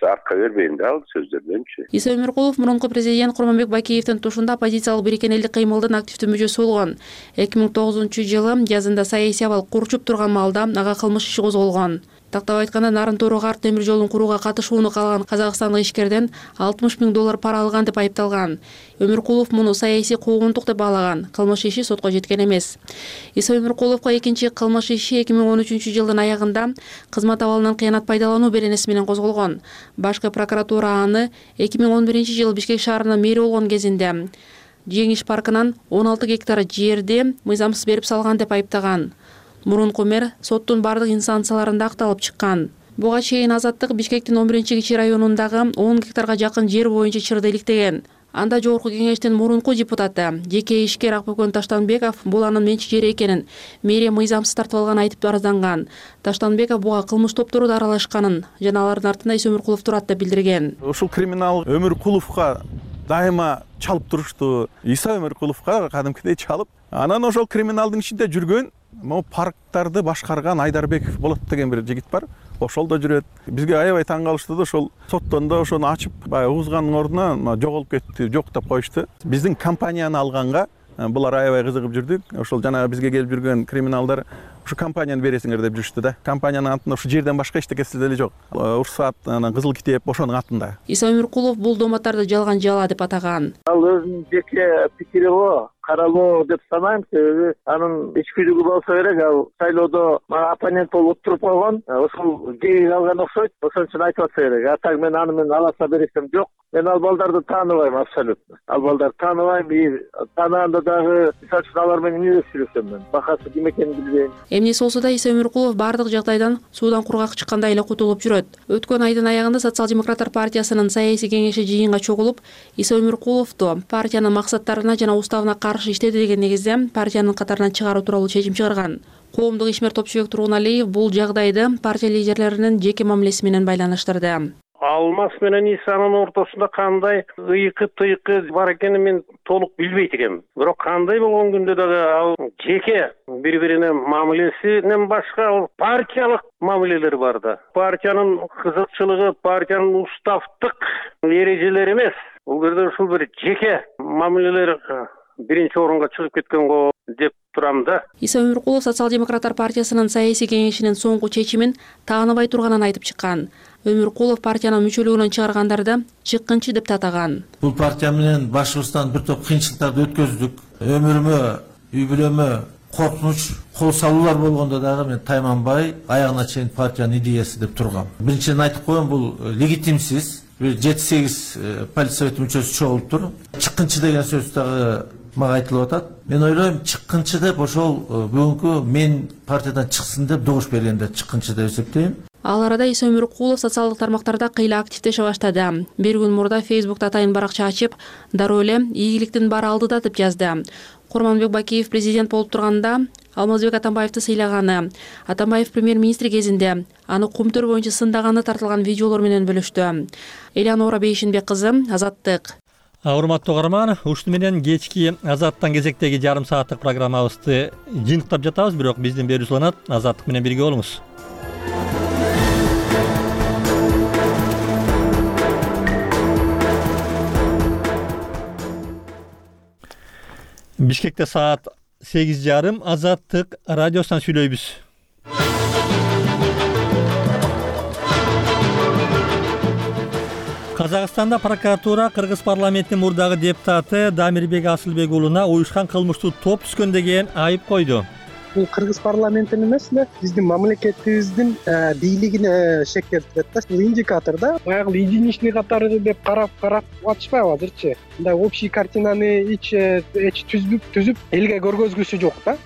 артка бербейм да ал сөздөрдөнчү. Иса Өмүркулов мурунку президент Курманбек Байкеевдин тушунда оппозициялык бириккен элдик кыймылдын активдүү мүчөсү болгон. 2009-жылы жазында саясий абал курчуп турган маалда ага кылмыш иши козголгон. Тактап айтканда Нарын Торук арт темир жолун курууга катышууну каалаган казакстандык ишкерден $60 000 пара алган деп айыпталган. Өмүркулов муну саясий куугунтук деп баалаган. Кылмыш иши сотко жеткен эмес. Иса Өмүркуловго экинчи кылмыш иши 2013-жылдын аягында кызмат абалынан кыянат пайдалануу беренеси менен козголгон. Башкы прокуратура аны 2011-жылы Бишкек шаарынын мэри болгон кезинде Жеңиш паркынан 16 гектар жерди мыйзамсыз берип салган деп айыптаган. Мурунку мэр соттун бардык инстанцияларында акталып чыккан. Буга чейин Азаттык Бишкектин 11-кичи районундагы 10 гектарга жакын жер боюнча чырды иликтеген. Анда Жогорку Кеңештин мурунку депутаты жеке ишкер Акбөкөн Таштанбеков бул анын менчик жери экенин мэрия мыйзамсыз тартып алган айтып арызданган. Таштанбеков буга кылмыш топтору да аралашканын жана алардын артында Иса Өмүркулов турат деп билдирген. Ушул криминал Өмүркуловго дайыма чалып турушту. Иса Өмүркуловго кадимкидей чалып, анан ошол криминалдын ичинде жүргөн могу парктарды башкарган Айдарбеков болот деген бир жигит бар. Ошол да жүрөт. Бизге аябай таң калышты да, ошол соттондо ошону ачып, баягы угузганын ордуна жоголуп кетти, жоктоп коюшту. Биздин компанияны алганга булар аябай кызыгып жүрдүк. Ошол жана бизге келип жүргөн криминалдар ушу компанияны бересиңер деп жүрүштү да. Компаниянын атында ушу жерден башка эчтекеси деле жок. Уруксат, анан кызыл китеп ошонун атында. Иса Өмүркулов бул дооматтарды жалган жала деп атаган. Ал өзүнүн жеке пикири го каралуу деп санайм, себеби анын ичкүлүгү болсо керек. Ал шайлоодо оппонент болуп туруп койгон, ошол жеги калган окшойт. Ошон үчүн айтып атса керек. А так мен аны менен аласа бересем жок. Мен ал балдарды тааныбайм абсолютно. Ал балдарды тааныбайм. Таанаанда дагы мисалы үчүн алар менен эмне сүйлөшөм мен? Бакасы ким экенин билбейм. Эмнеси болсо да Иса Өмүркулов бардык жагдайдан суудан кургак чыккандай эле кутулуп жүрөт. Өткөн айдын аягында Социал-демократтар партиясынын саясий кеңеши жыйынга чогулуп, Иса Өмүркуловду партиянын максаттарына жана уставына каршы иштеди деген негизде партиянын катарынан чыгаруу тууралуу чечим чыгарган. Коомдук ишмер Топчубек Тургуналиев бул жагдайды партия лидерлеринин жеке мамилеси менен байланыштырды. Алмаз менен Исанын ортосунда кандай ыйкы-тыйкы бар экенин мен толук билбейт экенмин. Бирок кандай болгон күндө дагы ал жеке бири-бирине мамилесинен башка партиялык мамилелер бар да. Партиянын кызыкчылыгы, партиянын уставдык эрежелери эмес. Бул жерде ушул бир жеке мамилелер биринчи орунга чыгып кеткен го деп турам да. Иса Өмүркулов Социал-демократтар партиясынын саясий кеңешинин соңку чечимин тааныбай турганын айтып чыккан. Өмүркулов партиянын мүчөлүгүнөн чыгаргандарды чыккынчы деп атаган. Бул партия менен башыбыздан бир топ кыйынчылыктарды өткөздүк. Өмүрүмө, үй бүлөмө коркунуч кол салуулар болгондо дагы мен тайманбай аягына чейин партиянын идеясы деп тургам. Биринчиден айтып коем, бул легитимсиз. Бир 7-8 полиция совет мүчөсү чогулуптур. Чыккынчы деген сөз дагы мага айтылып атат. Мен ойлойм, чыккынчы деп ошол бүгүнкү мен партиядан чыксын деп добуш бергенде чыккынчы деп эсептейм. Ал арада Иса Өмүркулов социалдык тармактарда кыйла активдеше баштады. Бир күн мурда Facebook'та атайын баракча ачып, дароо эле ийгиликтин баары алдыда деп жазды. Курманбек Бакиев президент болуп турганда Алмазбек Атамбаевди сыйлаганы, Атамбаев премьер-министр кезинде аны кумтөр боюнча сындаганы тартылган видеолор менен бөлүштү. Элеонора Бейшинбек кызы, Азаттык. Урматтуу угарман, ушуну менен кечки Азаттан кезектеги жарым сааттык программабызды жыйынтыктап жатабыз, бирок биздин берүүбүз уланат. Азаттык менен бирге болуңуз. Бишкекте саат 8:30. Азаттык радиосунан сүйлөйбүз. Казакстанда прокуратура Кыргыз парламентинин мурдагы депутаты Дамирбек Асылбек уулуна уюшкан кылмыштуу топ түзгөн деген айып койду. Бул Кыргыз парламентинин эмес эле, биздин мамлекетибиздин бийлигине шектелтет да. Бул индикатор да. Баягы единичный катары деп карап атышпайбы азырчы. Мындай общий картинаны түзүп элге көргөзгүсү жок да.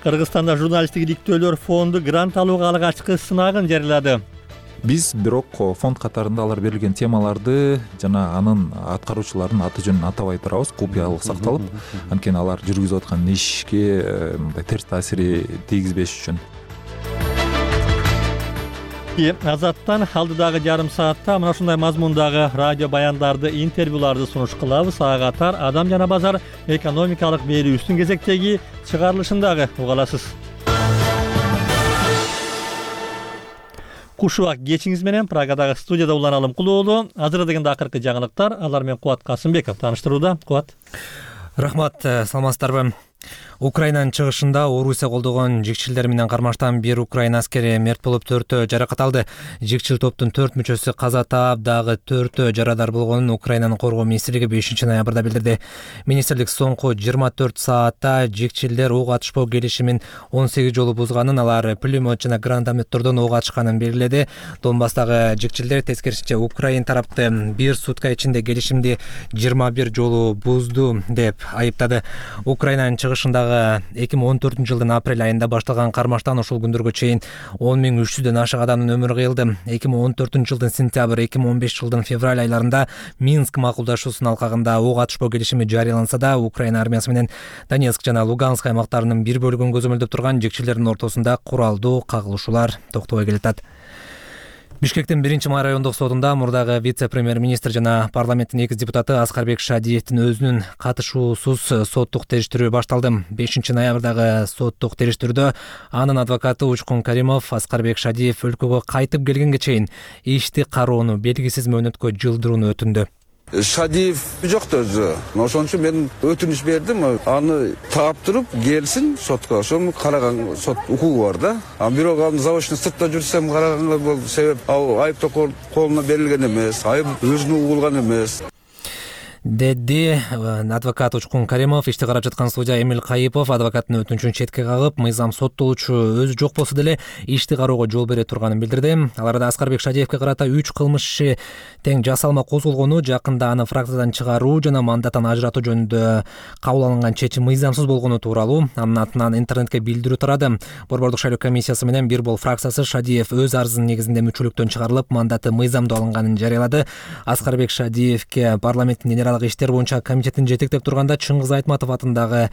Кыргызстанда журналисттик иликтөөлөр фонду грант алууга алгачкы сынагын жарыялады. Биз бирок фонд катарында алар берилген темаларды жана анын аткаруучуларынын аты жөнүн атабай турабыз, купуялык сакталып, анткени алар жүргүзүп аткан ишке мындай терс таасири тийгизбеш үчүн. Азаттан алдыдагы жарым саатта мына ушундай мазмундагы радио баяндарды, интервьюларды сунуш кылабыз. Ага катар Адам жана базар экономикалык берүүбүздүн кезектеги чыгарылышындагы уга аласыз. Кушубак кечиңиз менен Прагадагы студияда Улан Алымкулуу. Азыр дегенде акыркы жаңылыктар, алар менен Кубат Касымбеков тааныштырууда. Кубат. Рахмат, саламатсыздарбы? Украинанын чыгышында Орусия колдогон жигчилдер менен кармаштан бир Украина аскери мерт болуп, 4 жаракат алды. Жигчил топтун 4 мүчөсү каза таап, дагы 4 жарадар болгонун Украинанын коргоо министрлиги 5 ноябрда билдирди. Министрлик соңку 24 саатта жигчилдер ок атышпоо келишимин 18 жолу бузганын, алар пулемет жана гранатометтордон ок атышканын белгиледи. Донбасстагы жигчилдер тескерисинче Украин тарапты бир сутка ичинде келишимди 21 жолу бузду деп айыптады. Украинанын чыгышындагы 2014 жылдын апрель айында башталган кармаштан ушул күндөргө чейин 10.300дөн ашык адамдын өмүрү кыйылды. 2014 жылдын сентябрь, 2015 жылдын февраль айларында Минск макулдашуусунун алкагында ок атышпоо келишими жарыяланса да, Украина армиясы менен Донецк жана Луганск аймактарынын бир бөлүгүн көзөмөлдөп турган жигчилердин ортосунда куралдуу кагылышуулар токтобой келатат. Бишкектин 1-май райондук сотунда мурдагы вице-премьер-министр жана парламенттин 2 депутаты Аскарбек Шадиевдин өзүнүн катышуусуз соттук териштирүү башталды. 5 ноябрдагы соттук териштирүүдө анын адвокаты Учкун Каримов Аскарбек Шадиев өлкөгө кайтып келгенге чейин ишти кароону белгисиз мөөнөткө жылдырууну өтүндү. Шадиев жокто өзү. Ошон үчүн мен өтүнүш бердим, аны таптырып келсин сотко. Ошону караган сот укугу бар да. Бирок аны заочно сыртта жүрсөм караганга бул себеп айыптоо колуна берилген эмес, айып өзүнө угулган эмес. Деди адвокат Учкун Каримов. Ишти карап жаткан судья Эмил Кайыпов адвокаттын өтүнүчүн четке кагып, мыйзам соттолуучу өзү жок болсо деле ишти кароого жол бере турганын билдирди. Аларда Аскарбек Шадиевке карата 3 кылмыш иши тең жасалма козголгону, жакында аны фракциядан чыгаруу жана мандаттан ажыратуу жөнүндө кабыл алынган чечим мыйзамсыз болгону тууралуу анын атынан интернетке билдирүү тарады. Борбордук шайлоо комиссиясы менен Бир бол фракциясы Шадиев өз арызынын негизинде мүчөлүктөн чыгарылып, мандаты мыйзамдуу алынганын жарыялады. Аскарбек Шадиевке парламенттин генералдык иштер боюнча комитетин жетектеп турганда Чыңгыз Айтматов атындагы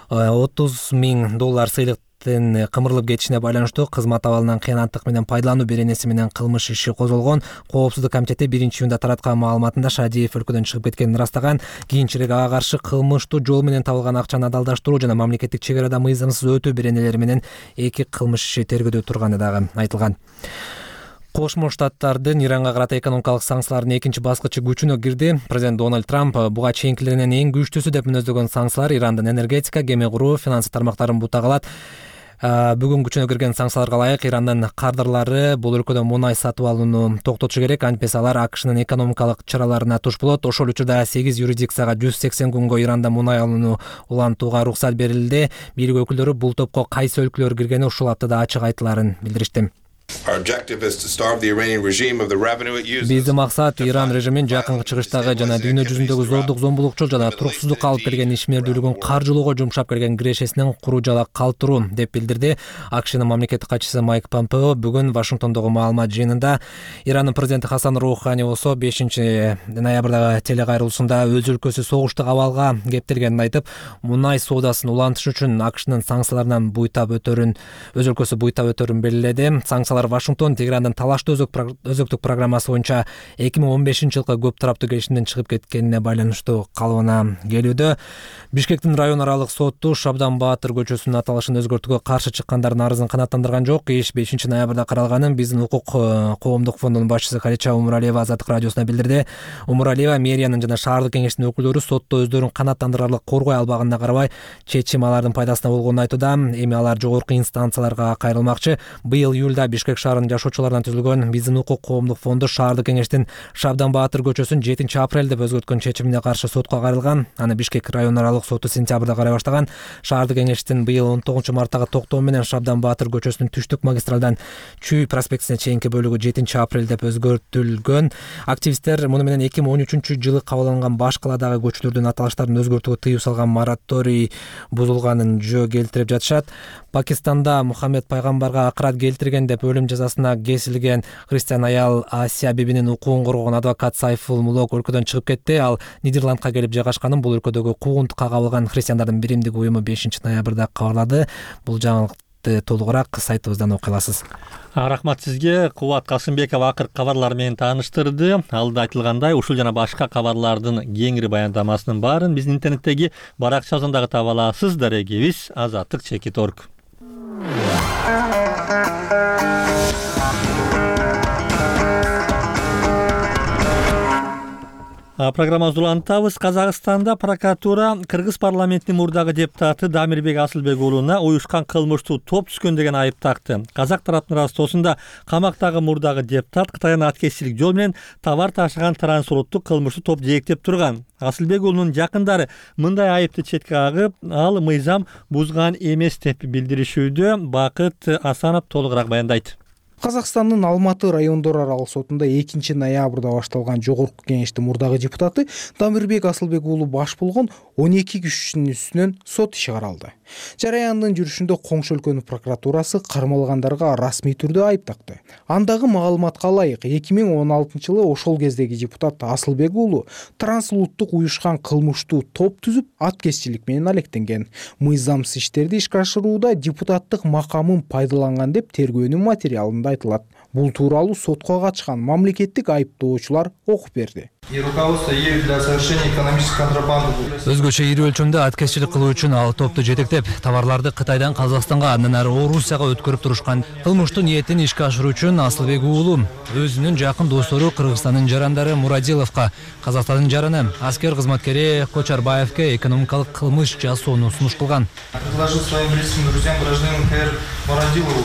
$30,000 сыйлыктын кымырылып кетишине байланыштуу кызмат абалынан кыянаттык менен пайдалануу беренеси менен кылмыш иши козголгон. Коопсуздук комитети 1-июнда тараткан маалыматында Шадиев өлкөдөн чыгып кеткенин ырастаган. Кийинчерээк ага каршы кылмыштуу жол менен табылган акчаны адалдаштыруу жана мамлекеттик чек арада мыйзамсыз өтүү беренелери менен 2 кылмыш иши тергөөдө турганы дагы айтылган. Кошмо Штаттардын Иранга карата экономикалык санкциялардын 2 баскычы күчүнө кирди. Президент Дональд Трамп буга чейинкилеринен эң күчтүүсү деп мүнөздөгөн санкциялар Ирандын энергетика, кеме куруу, финанс тармактарын бутагалат. Бүгүн күчүнө кирген санкцияларга ылайык Ирандын кардырлары бул өлкөдөн мунай сатып алууну токтотушу керек. Антпес алар АКШнын экономикалык чараларына туш болот. Ошол учурда 8 юрисдикцияга 180 күнгө Иранда мунай алууну улантууга уруксат берилди. Бийлик өкүлдөрү бул топко кайсы өлкөлөр киргени ушул аптада ачык айтыларын билдиришти. Биздин максат Иран режимин жакынкы чыгыштагы жана дүйнө жүзүндөгү зордук, зомбулукчул жана туруксуздукка алып келген ишмердүүлүгүн каржылоого жумшап келген кирешесинин куру жала калтыруу, деп билдирди АКШнын мамлекеттик катчысы Майк Помпео бүгүн Вашингтондогу маалымат жыйынында. Ирандын президенти Хасан Роухани болсо 5-ноябрдагы телекайрылуусунда өз өлкөсү согуштук абалга кептелгенин айтып, мунай соодасын улантыш үчүн АКШнын санкцияларынан өз өлкөсү буйтап өтөрүн белгиледи. Санкциялар Вашингтон Тегерандын талаштуу өзөктүк программасы боюнча 2015-жылкы көп тараптуу келишимден чыгып кеткенине байланыштуу калыбына келүүдө. Бишкектин район аралык соту Шабдан Баатыр көчөсүнүн аталышын өзгөртүүгө каршы чыккандардын арызын канааттандырган жок. Иш 5-ноябрда каралганын биздин укук коомдук фондунун башчысы Халича Умуралиева Азаттык радиосуна билдирди. Умуралиева мэриянын жана шаардык кеңештин өкүлдөрү сотто өздөрүн канааттандырарлык коргой албаганына карабай, чечим алардын пайдасына болгонун айтууда. Эми алар жогорку инстанцияларга кайрылмакчы. Быйыл июлда Бишкек шаарынын жашоочуларынан түзүлгөн биздин укук коомдук фонду шаардык кеңештин Шабдан Баатыр көчөсүн 7-апрель деп өзгөрткөн чечимине каршы сотко кайрылган. Аны Бишкек район аралык соту сентябрда карай баштаган. Шаардык кеңештин быйыл 19-марттагы токтоо менен Шабдан Баатыр көчөсүнүн түштүк магистралдан Чүй проспектисине чейинки бөлүгү 7-апрель деп өзгөртүлгөн. Активисттер муну менен 2013-жылы кабыл алынган баш каладагы көчөлөрдүн аталыштарын өзгөртүүгө тыюу салган мораторий бузулганын жөө келтирип жатышат. Пакистанда Мухаммед пайгамбарга акырат келтирген деп өлүм жазасына кесилген христиан аял Асия бибинин укугун коргогон адвокат Сайфул Мулок өлкөдөн чыгып кетти. Ал Нидерландка келип жайгашканын бул өлкөдөгү куугунтукка кабылган христиандардын биримдик уюму 5-ноябрда кабарлады. Бул жаңылыкты толугураак сайтыбыздан окуй аласыз. Рахмат сизге. Кубат Касымбеков акыркы кабарлар менен тааныштырды. Алда айтылгандай, ушул жана башка кабарлардын кеңири баяндамасынын баарын биздин интернеттеги баракчабыздан дагы таба аласыз. Дарегибиз azatlyk.org. Программабызды улантабыз. Казакстанда прокуратура Кыргыз парламентинин мурдагы депутаты Дамирбек Асылбек уулуна уюшкан кылмыштуу топ түзгөн деген айып такты. Казак тараптын ырастоосунда камактагы мурдагы депутат Кытайдан аткезчилик жол менен товар ташыган трансулуттук кылмыштуу топ жээктеп турган. Асылбек уулунун жакындары мындай айыпты четке кагып, ал мыйзам бузган эмес деп билдиришүүдө. Бакыт Асанов толугураак баяндайт. Казакстандын Алматы райондор аралык сотунда 2-ноябрда башталган жогорку кеңештин мурдагы депутаты Дамирбек Асылбек уулу баш болгон 12 күччүнүн үстүнөн сот иши каралды. Жараяндын жүрүшүндө коңшу өлкөнүн прокуратурасы кармалгандарга расмий түрдө айып такты. Андагы маалыматка ылайык 2016-жылы ошол кездеги депутат Асылбек уулу трансулуттук уюшкан кылмыштуу топ түзүп, аткезчилик менен алектенген. Мыйзамсыз иштерди ишке ашырууда депутаттык макамын пайдаланган деп тергөөнүн материалында айтылат. Бул тууралуу сотко катышкан мамлекеттик айыптоочулар окуп берди. Өзгөчө ири өлчөмдө аткезчилик кылуу үчүн ал топту жетектеп, товарларды Кытайдан Казакстанга, андан ары Орусияга өткөрүп турушкан. Кылмыштуу ниетин ишке ашыруу үчүн Асылбек уулу өзүнүн жакын достору Кыргызстандын жарандары Мурадиловго, Казакстандын жараны аскер кызматкери Кочарбаевке экономикалык кылмыш жасоону сунуш кылган. Предложил своим близким друзьям гражданину КР Мурадилову.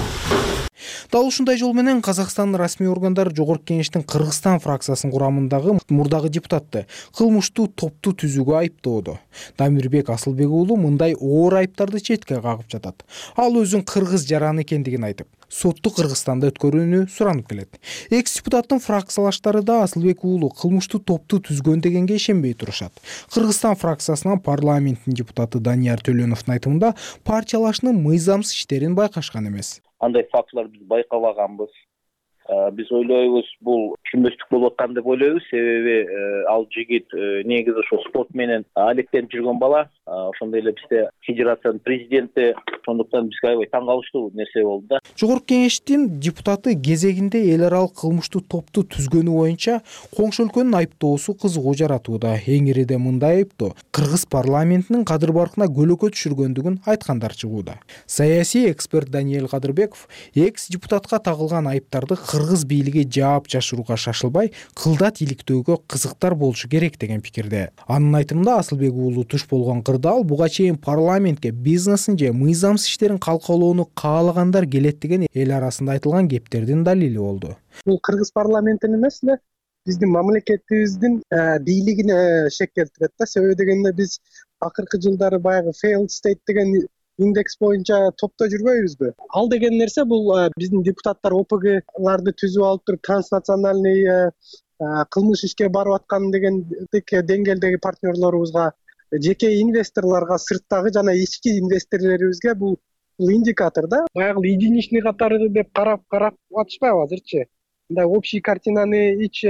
Дал ушундай жол менен Казакстандын расмий органдары жогорку кеңештин Кыргызстан фракциясынын курамындагы мурдагы депутатты кылмыштуу топту түзүүгө айыптоодо. Дамирбек Асылбек уулу мындай оор айыптарды четке кагып жатат. Ал өзүн кыргыз жараны экендигин айтып, сотту Кыргызстанда өткөрүүнү суранып келет. Экс-депутаттын фракциялаштары да Асылбек уулу кылмыштуу топту түзгөн дегенге ишенбей турушат. Кыргызстан фракциясынан парламенттин депутаты Данияр Төлөновдун айтымында партиялашынын мыйзамсыз иштерин байкашкан эмес. Андай фактылар биз байкабаганбыз. Биз ойлойбуз, бул түшүнбөстүк болуп аткан деп ойлойбуз. Себеби ал жигит негизи ошо спорт менен алектенип жүргөн бала. Ошондой эле бизде федерациянын президенти, ошондуктан бизге аябай таң калыштуу нерсе болду да. Жогорку кеңештин депутаты кезегинде эл аралык кылмыштуу топту түзгөнү боюнча коңшу өлкөнүн айыптоосу кызыгуу жаратууда. Эң ириде мындай айыптоо Кыргыз парламентинин кадыр баркына көлөкө түшүргөндүгүн айткандар чыгууда. Саясий эксперт Даниэль Кадырбеков экс-депутатка тагылган айыптарды кыргыз бийлиги жаап жашырууга шашылбай, кылдат иликтөөгө кызыктар болушу керек деген пикирде. Анын айтымында Асылбек уулу туш болгон кырдаал буга чейин парламентке бизнесин же мыйзамсыз иштерин калкалоону каалагандар келет деген эл арасында айтылган кептердин далили болду. Бул Кыргыз парламентин эмес эле биздин мамлекетибиздин бийлигине шек келтирет да. Себеби дегенде биз акыркы жылдары баягы failed state деген индекс боюнча топто жүрбөйбүзбү? Ал деген нерсе бул биздин депутаттар ОПГларды түзүп алып туруп транснациональный кылмыш ишке барып аткан дегендик деңгээлдеги партнерлорубузга, жеке инвесторлорго, сырттагы жана ички инвесторлорубузга бул индикатор да. Баягы единичный катары деп карап атышпайбы азырчы? Мындай общий картинаны эч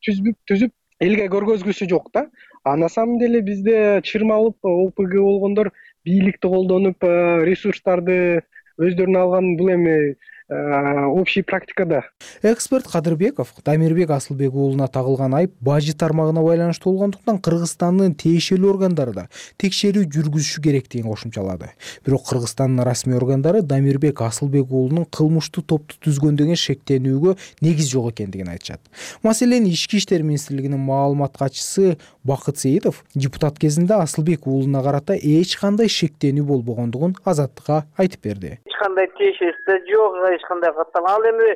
түзүп элге көргөзгүсү жок да. А на самом деле бизде чырмалып ОПГ болгондор бийликти колдонуп, ресурстарды өздөрүнө алган бул эми общий практикада. Эксперт Кадырбеков Дамирбек Асылбек уулуна тагылган айып бажы тармагына байланыштуу болгондуктан Кыргызстандын тиешелүү органдары да текшерүү жүргүзүшү керектигин кошумчалады. Бирок Кыргызстандын расмий органдары Дамирбек Асылбек уулунун кылмыштуу топту түзгөн деген шектенүүгө негиз жок экендигин айтышат. Маселени Ички иштер министрлигинин маалымат катчысы Бакыт Сейитов депутат кезинде Асылбек уулуна карата эч кандай шектенүү болбогондугун Азаттыкка айтып берди. Эч кандай тиешеси жок, эч кандай каттан. Ал эми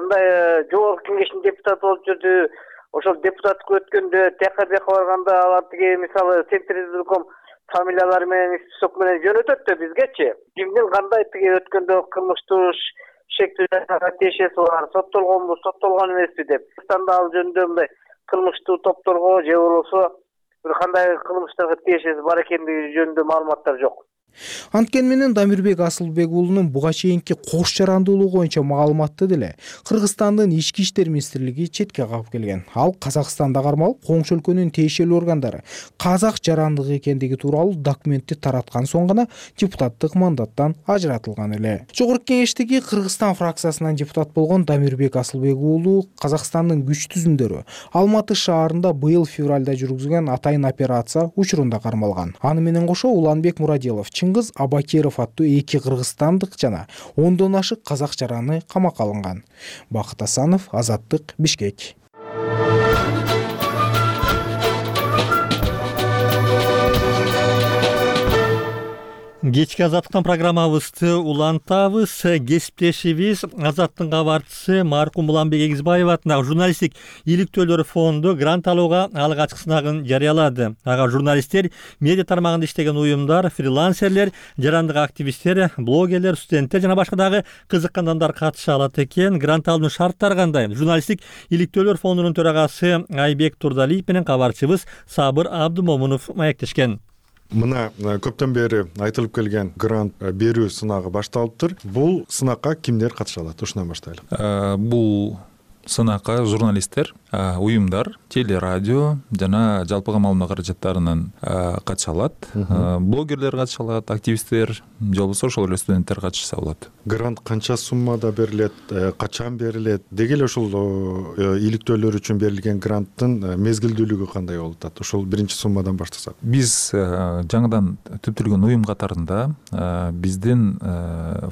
мындай жогорку кеңештин депутаты болуп жүрдү. Ошол депутаттыкка өткөндө ТКБ барганда алар тиги мисалы Центризм фамилиялары менен список менен жөнөтөт да бизгечи. Кимдин кандай тиги өткөндө кылмыштуу шектүүгө тиешеси бар, соттолгонбу, соттолгон эмеспи деп. Кыргызстанда ал жөнүндө мындай кылмыштуу топторго же болбосо бир кандай кылмыштарга тиешеси бар экендиги жөнүндө маалыматтар жок. Анткени менен Дамирбек Асылбек уулунун буга чейинки кош жарандуулугу боюнча маалыматты деле Кыргызстандын Ички иштер министрлиги четке кагып келген. Ал Казакстанда кармалып, коңшу өлкөнүн тиешелүү органдары казак жарандыгы экендиги тууралуу документти тараткан соң гана депутаттык мандаттан ажыратылган эле. Жогорку кеңештеги Кыргызстан фракциясынан депутат болгон Дамирбек Асылбек уулу Казакстандын күч түзүмдөрү Алматы шаарында быйыл февралда жүргүзгөн атайын операция учурунда кармалган. Аны менен кошо Уланбек Мурадилов, Чыңгыз Абакиров аттуу 2 кыргызстандык жана 10дон ашык казак жараны камакка алынган. Бакыт Асанов, Азаттык, Бишкек. Кечки Азаттыктан программабызды улантабыз. Кесиптешибиз Азаттыктын кабарчысы маркум Уланбек Эгизбаев атындагы журналисттик иликтөөлөр фонду грант алууга алык ачык сынагын жарыялады. Ага журналисттер, медиа тармагында иштеген уюмдар, фрилансерлер, жарандык активисттер, блогерлер, студенттер жана башка дагы кызыккан адамдар катыша алат экен. Грант алуунун шарттары кандай? Журналисттик иликтөөлөр фондунун төрагасы Айбек Турдалиев менен кабарчыбыз Сабыр Абдымомунов маектешкен. Мына көптөн бери айтылып келген грант берүү сынагы башталыптыр. Бул сынакка кимдер катыша алат? Ушундан баштайлы. Бул сынакка журналисттер, уюмдар, телерадио жана жалпыга маалымат каражаттарынын катыша алат. Блогерлер катыша алат, активисттер, же болбосо ошол эле студенттер катышса болот. Грант канча суммада берилет, качан берилет? Деги эле ушул иликтөөлөр үчүн берилген гранттын мезгилдүүлүгү кандай болуп атат? Ошол биринчи суммадан баштасак. Биз жаңыдан түптөлгөн уюм катарында биздин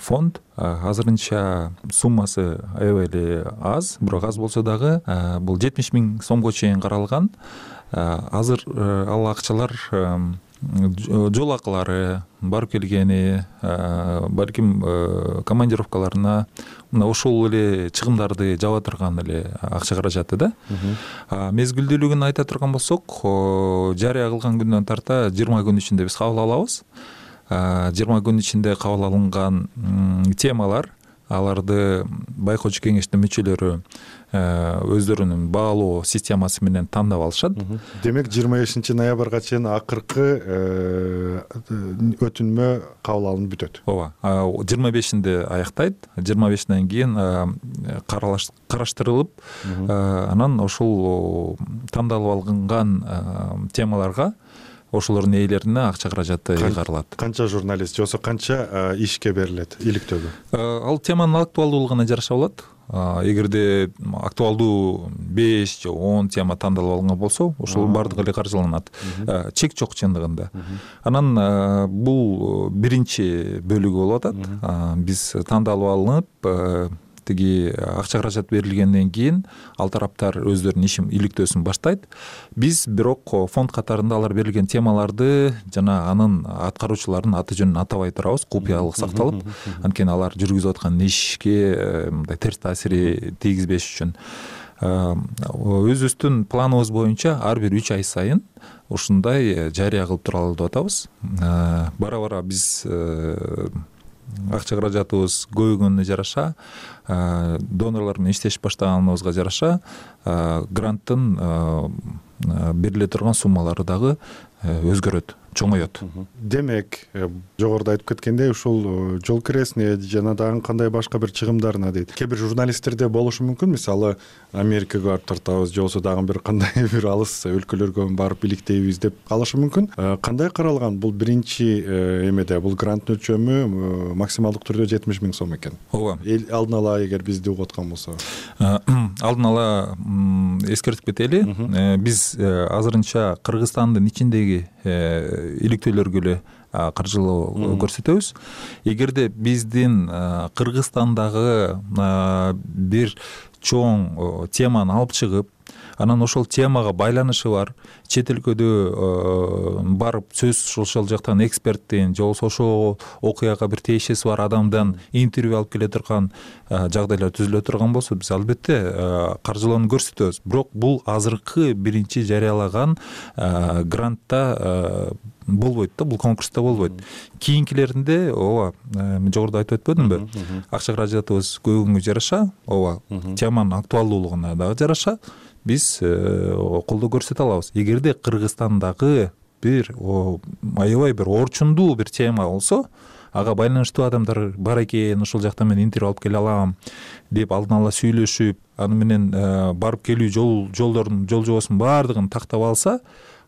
фонд азырынча суммасы аябай эле аз, бирок аз болсо дагы бул 70 000 сомго чейин каралган. Азыр ал акчалар жол акылары, барып келгени, балким командировкаларына мына ошол эле чыгымдарды жаба турган эле акча каражаты да. Мезгилдүүлүгүн айта турган болсок, жарыя кылган күндөн тарта 20 күн ичинде биз кабыл алабыз. 20 күн ичинде кабыл алынган темалар, аларды байкоочу кеңештин мүчөлөрү өздөрүнүн баалоо системасы менен тандап алышат. Демек 25 ноябрга чейин акыркы өтүнмө кабыл алынып бүтөт. Ооба, 25-inde аяктайт. 25-ден кийин караштырылып, анан ошол тандалып алынган темаларга ошолордун ээлерине акча каражаты ыйгарылат. Канча журналист жосо канча ишке берилет иликтөөгө? Ал теманын актуалдуулугуна жараша болот. Эгерде актуалдуу 5 же 10 тема тандалып алынган болсо, ошол бардыгы эле каржыланат. Чек жок чындыгында. Анан бул биринчи бөлүгү болуп атат. Биз тандалып алынып, тиги акча каражат берилгенден кийин ал тараптар өздөрүнүн ишин иликтөөсүн баштайт. Биз бирок фонд катарында алар берилген темаларды жана анын аткаруучуларынын аты жөнүн атабай турабыз, купуялык сакталып, анткени алар жүргүзүп аткан ишке мындай терс таасири тийгизбеш үчүн. өзүбүздүн планыбыз боюнча ар бир 3 ай сайын ушундай жарыя кылып туралы деп атабыз. Бара бара биз акча каражатыбыз көбөйгөнүнө жараша, донорлор менен иштешип баштаганыбызга жараша гранттын бериле турган суммалары дагы өзгөрөт, чоңоет. Демек, жогоруда айтып кеткендей, ушул жол киресине жана дагы кандай башка бир чыгымдарына дейт. Кээ бир журналисттерде болушу мүмкүн, мисалы Америкага барып тартабыз, же болбосо дагы бир кандай бир алыс өлкөлөргө барып иликтейбиз деп калышы мүмкүн. Кандай каралган бул биринчи эмеде? Бул гранттын өлчөмү максималдык түрдө 70 000 сом экен. Ооба. Алдын ала эгер бизди угуп аткан болсо. Алдын ала эскертип кетели. Биз азырынча Кыргызстандын ичиндеги иликтөөлөргө эле каржылоо көрсөтөбүз. Эгерде биздин Кыргызстандагы бир чоң теманы алып чыгып, анан ошол темага байланышы бар, чет өлкөдө барып сөз ошол жактан эксперттен, же болбосо ошол окуяга бир тиешеси бар адамдан интервью алып келе турган жагдайлар түзүлө турган болсо, биз албетте каржылоону көрсөтөбүз. Бирок бул азыркы биринчи жарыялаган грантта болбойт да, бул конкурста болбойт. Кийинкилеринде ооба, мен жогоруда айтып өтпөдүмбү? Акча каражатыбыз көбөйгөнгө жараша, ооба, теманын актуалдуулугуна дагы жараша биз колдоо көрсөтө алабыз. Эгерде Кыргызстандагы бир аябай бир орчундуу бир тема болсо, ага байланыштуу адамдар бар экен, ошол жактан мен интервью алып келе алам деп алдын ала сүйлөшүп, аны менен барып келүү жолдордун жол жобосунун баардыгын тактап алса,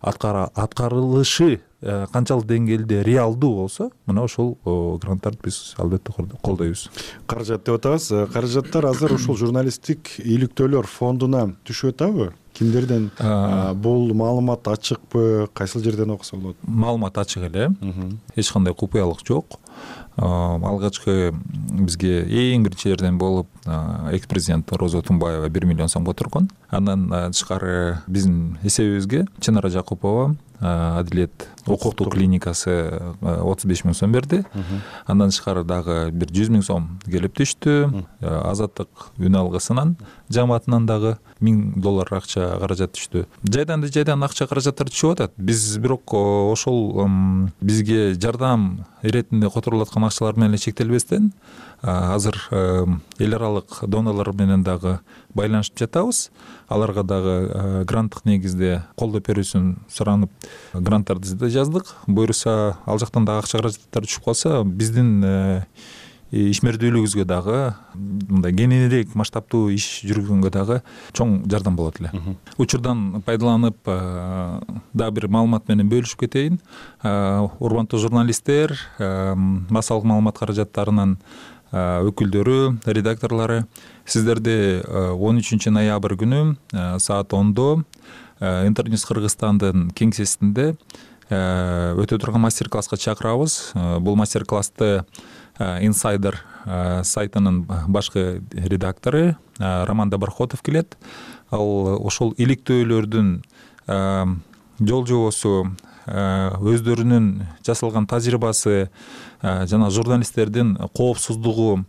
аткарылышы канчалык деңгээлде реалдуу болсо, мына ошол гранттарды биз албетте колдойбуз. Каражат деп атабыз. Каражаттар азыр ушул журналисттик иликтөөлөр фондуна түшүп атабы? Кимдерден бул маалымат ачыкпы? Кайсыл жерден окуса болот? Маалымат ачык эле. Эч кандай купуялык жок. Алгачкы бизге эң биринчи жерден болуп экс-президент Роза Тумбаева 1 миллион сомго турган. Андан тышкары биздин эсебибизге Чынара Жакупова Адилет укуктук клиникасы 35 000 сом берди. Андан тышкары дагы бир 100 000 сом келип түштү. Азаттык үн алгысынан жамаатынан дагы $1000 акча каражат түштү. Жайдан акча каражаттар түшүп атат. Биз бирок ошол бизге жардам иретинде которулаткан акчалар менен чектелбестен, азыр эл аралык донорлор менен дагы байланышып жатабыз. Аларга дагы гранттык негизде колдоо берүүсүн суранып, гранттарды да жаздык. Буюрса, ал жактан дагы акча каражаттар түшүп калса, биздин ишмердүүлүгүбүзгө дагы мындай кеңирээк масштабтуу иш жүргөнгө дагы чоң жардам болот эле. Учурдан пайдаланып дагы бир маалымат менен бөлүшүп кетейин. Урматтуу журналисттер, массалык маалымат каражаттарынын өкүлдөрү, редакторлору, сиздерди 13 ноябрь күнү саат 10-до Интерньюс Кыргызстандын кеңсесинде өтө турган мастер-класска чакырабыз. Бул мастер-классты Insider сайтынын башкы редактору Роман Доброхотов келет. Ал ошол иликтөөлөрдүн жол жобосу, өздөрүнүн жасалган тажрыйбасы жана журналисттердин коопсуздугу,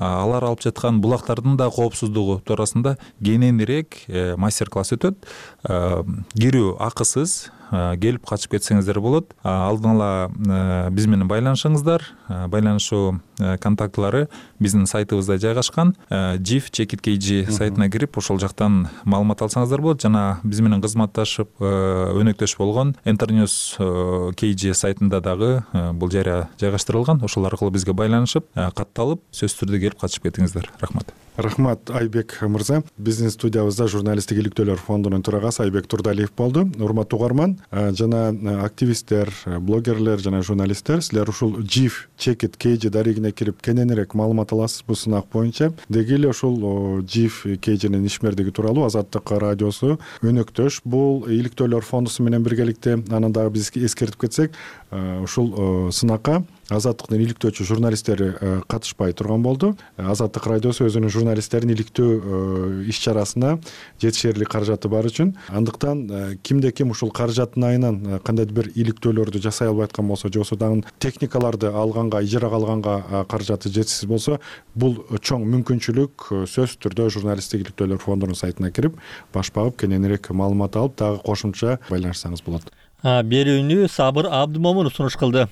алар алып жаткан булактардын да коопсуздугу туурасында кененирээк мастер-класс өтөт. Кирүү акысыз, келип катышып кетсеңиздер болот. Алдын ала биз менен байланышыңыздар. Байланышуу контактылары биздин сайтыбызда жайгашкан. GIF сайтына кирип, ошол жактан маалымат алсаңыздар болот. Жана биз менен кызматташып, өнөктөш болгон Интерньюс KG сайтында дагы бул жарыя жайгаштырылган. Ошол аркылуу бизге байланышып, катталып, сөзсүз түрдө келип катышып кетиңиздер. Рахмат. Рахмат, Айбек мырза. Биздин студиябызда журналисттик иликтөөлөр фондунун төрагасы Айбек Турдалиев болду. Урматтуу угарман жана активисттер, блогерлер жана журналисттер, силер ушул GIF KG дарегине кирип кененирээк маалымат аласыз бул сынак боюнча. Деги эле ушул GIF KGнин ишмердиги тууралуу Азаттык радиосу өнөктөш бул иликтөөлөр фондусу менен биргеликте, анан дагы биз эскертип кетсек, ушул сынакка Азаттыктын иликтөөчү журналисттери катышпай турган болду. Азаттык радиосу өзүнүн журналисттерин иликтөө иш чарасына жетишээрлик каражаты бар үчүн, андыктан кимде ким ушул каражаттын айынан кандайдыр бир иликтөөлөрдү жасай албай аткан болсо, же болбосо дагы техникаларды алганга, ижарага алганга каражаты жетишсиз болсо, бул чоң мүмкүнчүлүк сөзсүз түрдө журналисттик иликтөөлөр фондунун сайтына кирип, баш багып кененирээк маалымат алып, дагы кошумча байланышсаңыз болот. Берүүнү Сабыр Абдымомунов сунуш кылды.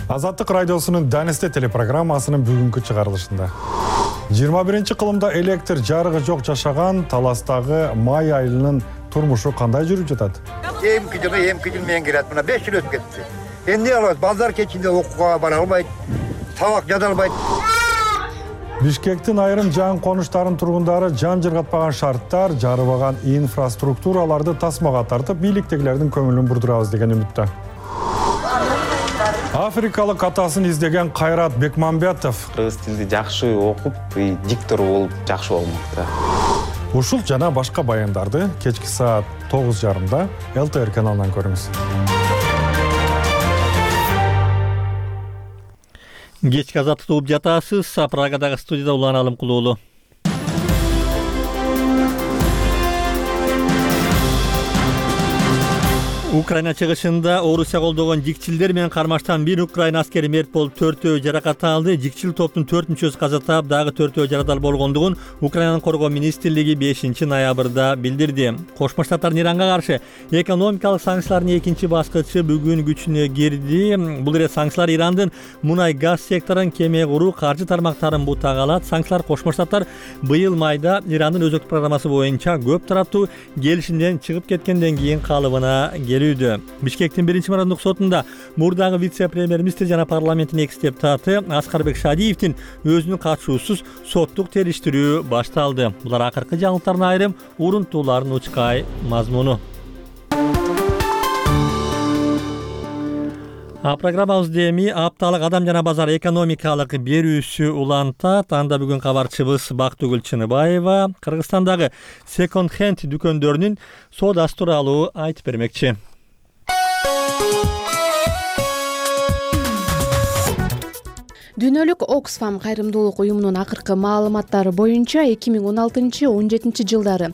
Азаттык радиосунун Данисте телепрограммасынын бүгүнкү чыгарылышында 21-кылымда электр жарыгы жок жашаган Таластагы май айылынын турмушу кандай жүрүп жатат? Эмки жыл менен кирет, мына 5 жыл өтүп кетти. Эмне кылабыз? Балдар кечинде окууга бара албайт, табак жада албайт. Бишкектин айрым жаңы конуштарынын тургундары жан жыргатпаган шарттар, жарыбаган инфраструктураларды тасмага тартып, бийликтегилердин көңүлүн бурдурабыз деген үмүттө. Африкалык атасын издеген Кайрат Бекмамбетов кыргыз тилди жакшы окуп, диктор болуп жакшы болмокта. Ушул жана башка баяндарды кечки саат 9:30 ЛТР каналынан көрүңүз. Кечки азаттыкты угуп жатасыз. Прагадагы студияда Улан Алымкулуулу. Украина чыгышында Орусия колдогон жикчилдер менен кармаштан бир Украина аскери мерт болуп, 4-өө жаракат алды. Жикчил топтун 4 мүчөсү каза таап, дагы 4-өө жаракат болгондугун Украинанын коргоо министрлиги 5-ноябрда билдирди. Кошмо Штаттардын Иранга каршы экономикалык санкциялардын экинчи баскычы бүгүн күчүнө кирди. Бул ирет санкциялар Ирандын мунай газ секторун, кеме куруу, каржы тармактарын бутага алат. Санкциялар Кошмо Штаттар быйыл майда Ирандын өзөктүк программасы боюнча көп тараптуу келишимден чыгып кеткенден кийин калыбына келүүдө. Бишкектин 1-мураындык сотунда мурдагы вице-премьер-министр жана парламенттин экс-депутаты Аскарбек Шадиевдин өзүнүн катышуусуз соттук териштирүү башталды. Булар акыркы жаңылыктардын айрым урунтууларын учкай мазмуну. Программабызды эми апталык адам жана базар экономикалык берүүсү улантат. Анда бүгүн кабарчыбыз Бактыгүл Чыныбаева Кыргызстандагы секонд-хенд дүкөндөрүнүн соодасы тууралуу айтып бермекчи. Дүйнөлүк Оксfam кайрымдуулук уюмунун акыркы маалыматтары боюнча 2016-17 жылдары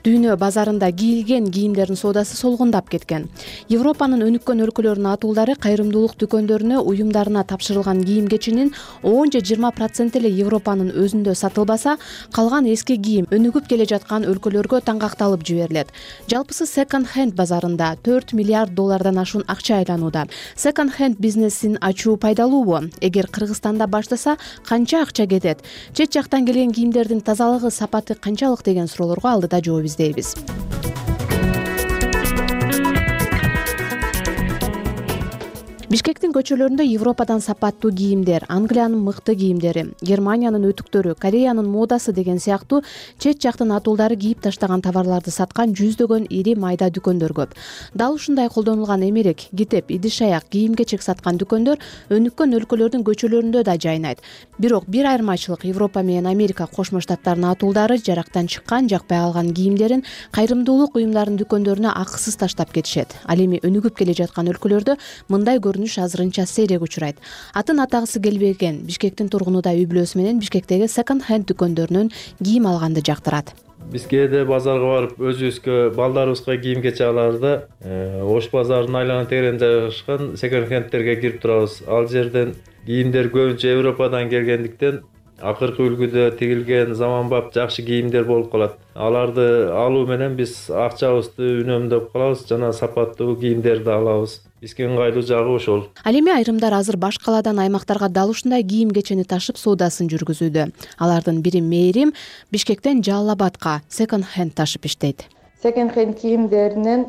дүйнө базарында кийилген кийимдердин соодасы солгундап кеткен. Европанын өнүккөн өлкөлөрүнүн атуулдары кайрымдуулук дүкөндөрүнө уюмдарына тапшырылган кийим-кечинин 10-20% эле Европанын өзүндө сатылбаса, калган эски кийим өнүгүп келе жаткан өлкөлөргө таңгакталып жиберилет. Жалпысы секонд-хенд базарында $4 миллиард ашуун акча айланууда. Секонд-хенд бизнесин ачуу пайдалуубу? Эгер Кыргызстанда баштаса, канча акча кетет? Чет жактан келген кийимдердин тазалыгы, сапаты канчалык деген суроолорго алдыда жооп издейбиз. Бишкектин көчөлөрүндө Европадан сапаттуу кийимдер, Англиянын мыкты кийимдери, Германиянын өтүктөрү, Кореянын модасы деген сыяктуу чет жактын атуулдары кийип таштаган товарларды саткан жүздөгөн ири майда дүкөндөр көп. Дал ушундай колдонулган эмерек, китеп, идиш-аяк, кийим-кечек саткан дүкөндөр өнүккөн өлкөлөрдүн көчөлөрүндө да жайнайт. Бирок бир айырмачылык: Европа менен Америка Кошмо Штаттарынын атуулдары жарактан чыккан, жакпай калган кийимдерин кайрымдуулук уюмдарынын дүкөндөрүнө акысыз таштап кетишет. Ал эми өнүгүп келе жаткан өлкөлөрдө мындай азырынча сейрек учурайт. Атын атагысы келбеген Бишкектин тургуну да үй бүлөсү менен Бишкектеги секонд-хенд дүкөндөрүнөн кийим алганды жактырат. Биз кээде базарга барып өзүбүзгө, балдарыбызга кийим-кечек аларда Ош базарынын айлана тегерегинде жайгашкан секонд-хендтерге кирип турабыз. Ал жерден кийимдер көбүнчө Европадан келгендиктен акыркы үлгүдө тигилген заманбап жакшы кийимдер болуп калат. Аларды алуу менен биз акчабызды үнөмдөп калабыз жана сапаттуу кийимдерди алабыз. Бизге ыңгайлуу жагы ошол. Ал эми айрымдар азыр баш калаадан аймактарга дал ушундай кийим-кечени ташып соодасын жүргүзүүдө. Алардын бири Мээрим Бишкектен Жалал-Абадка секонд-хенд ташып иштейт. Секонд-хенд кийимдеринен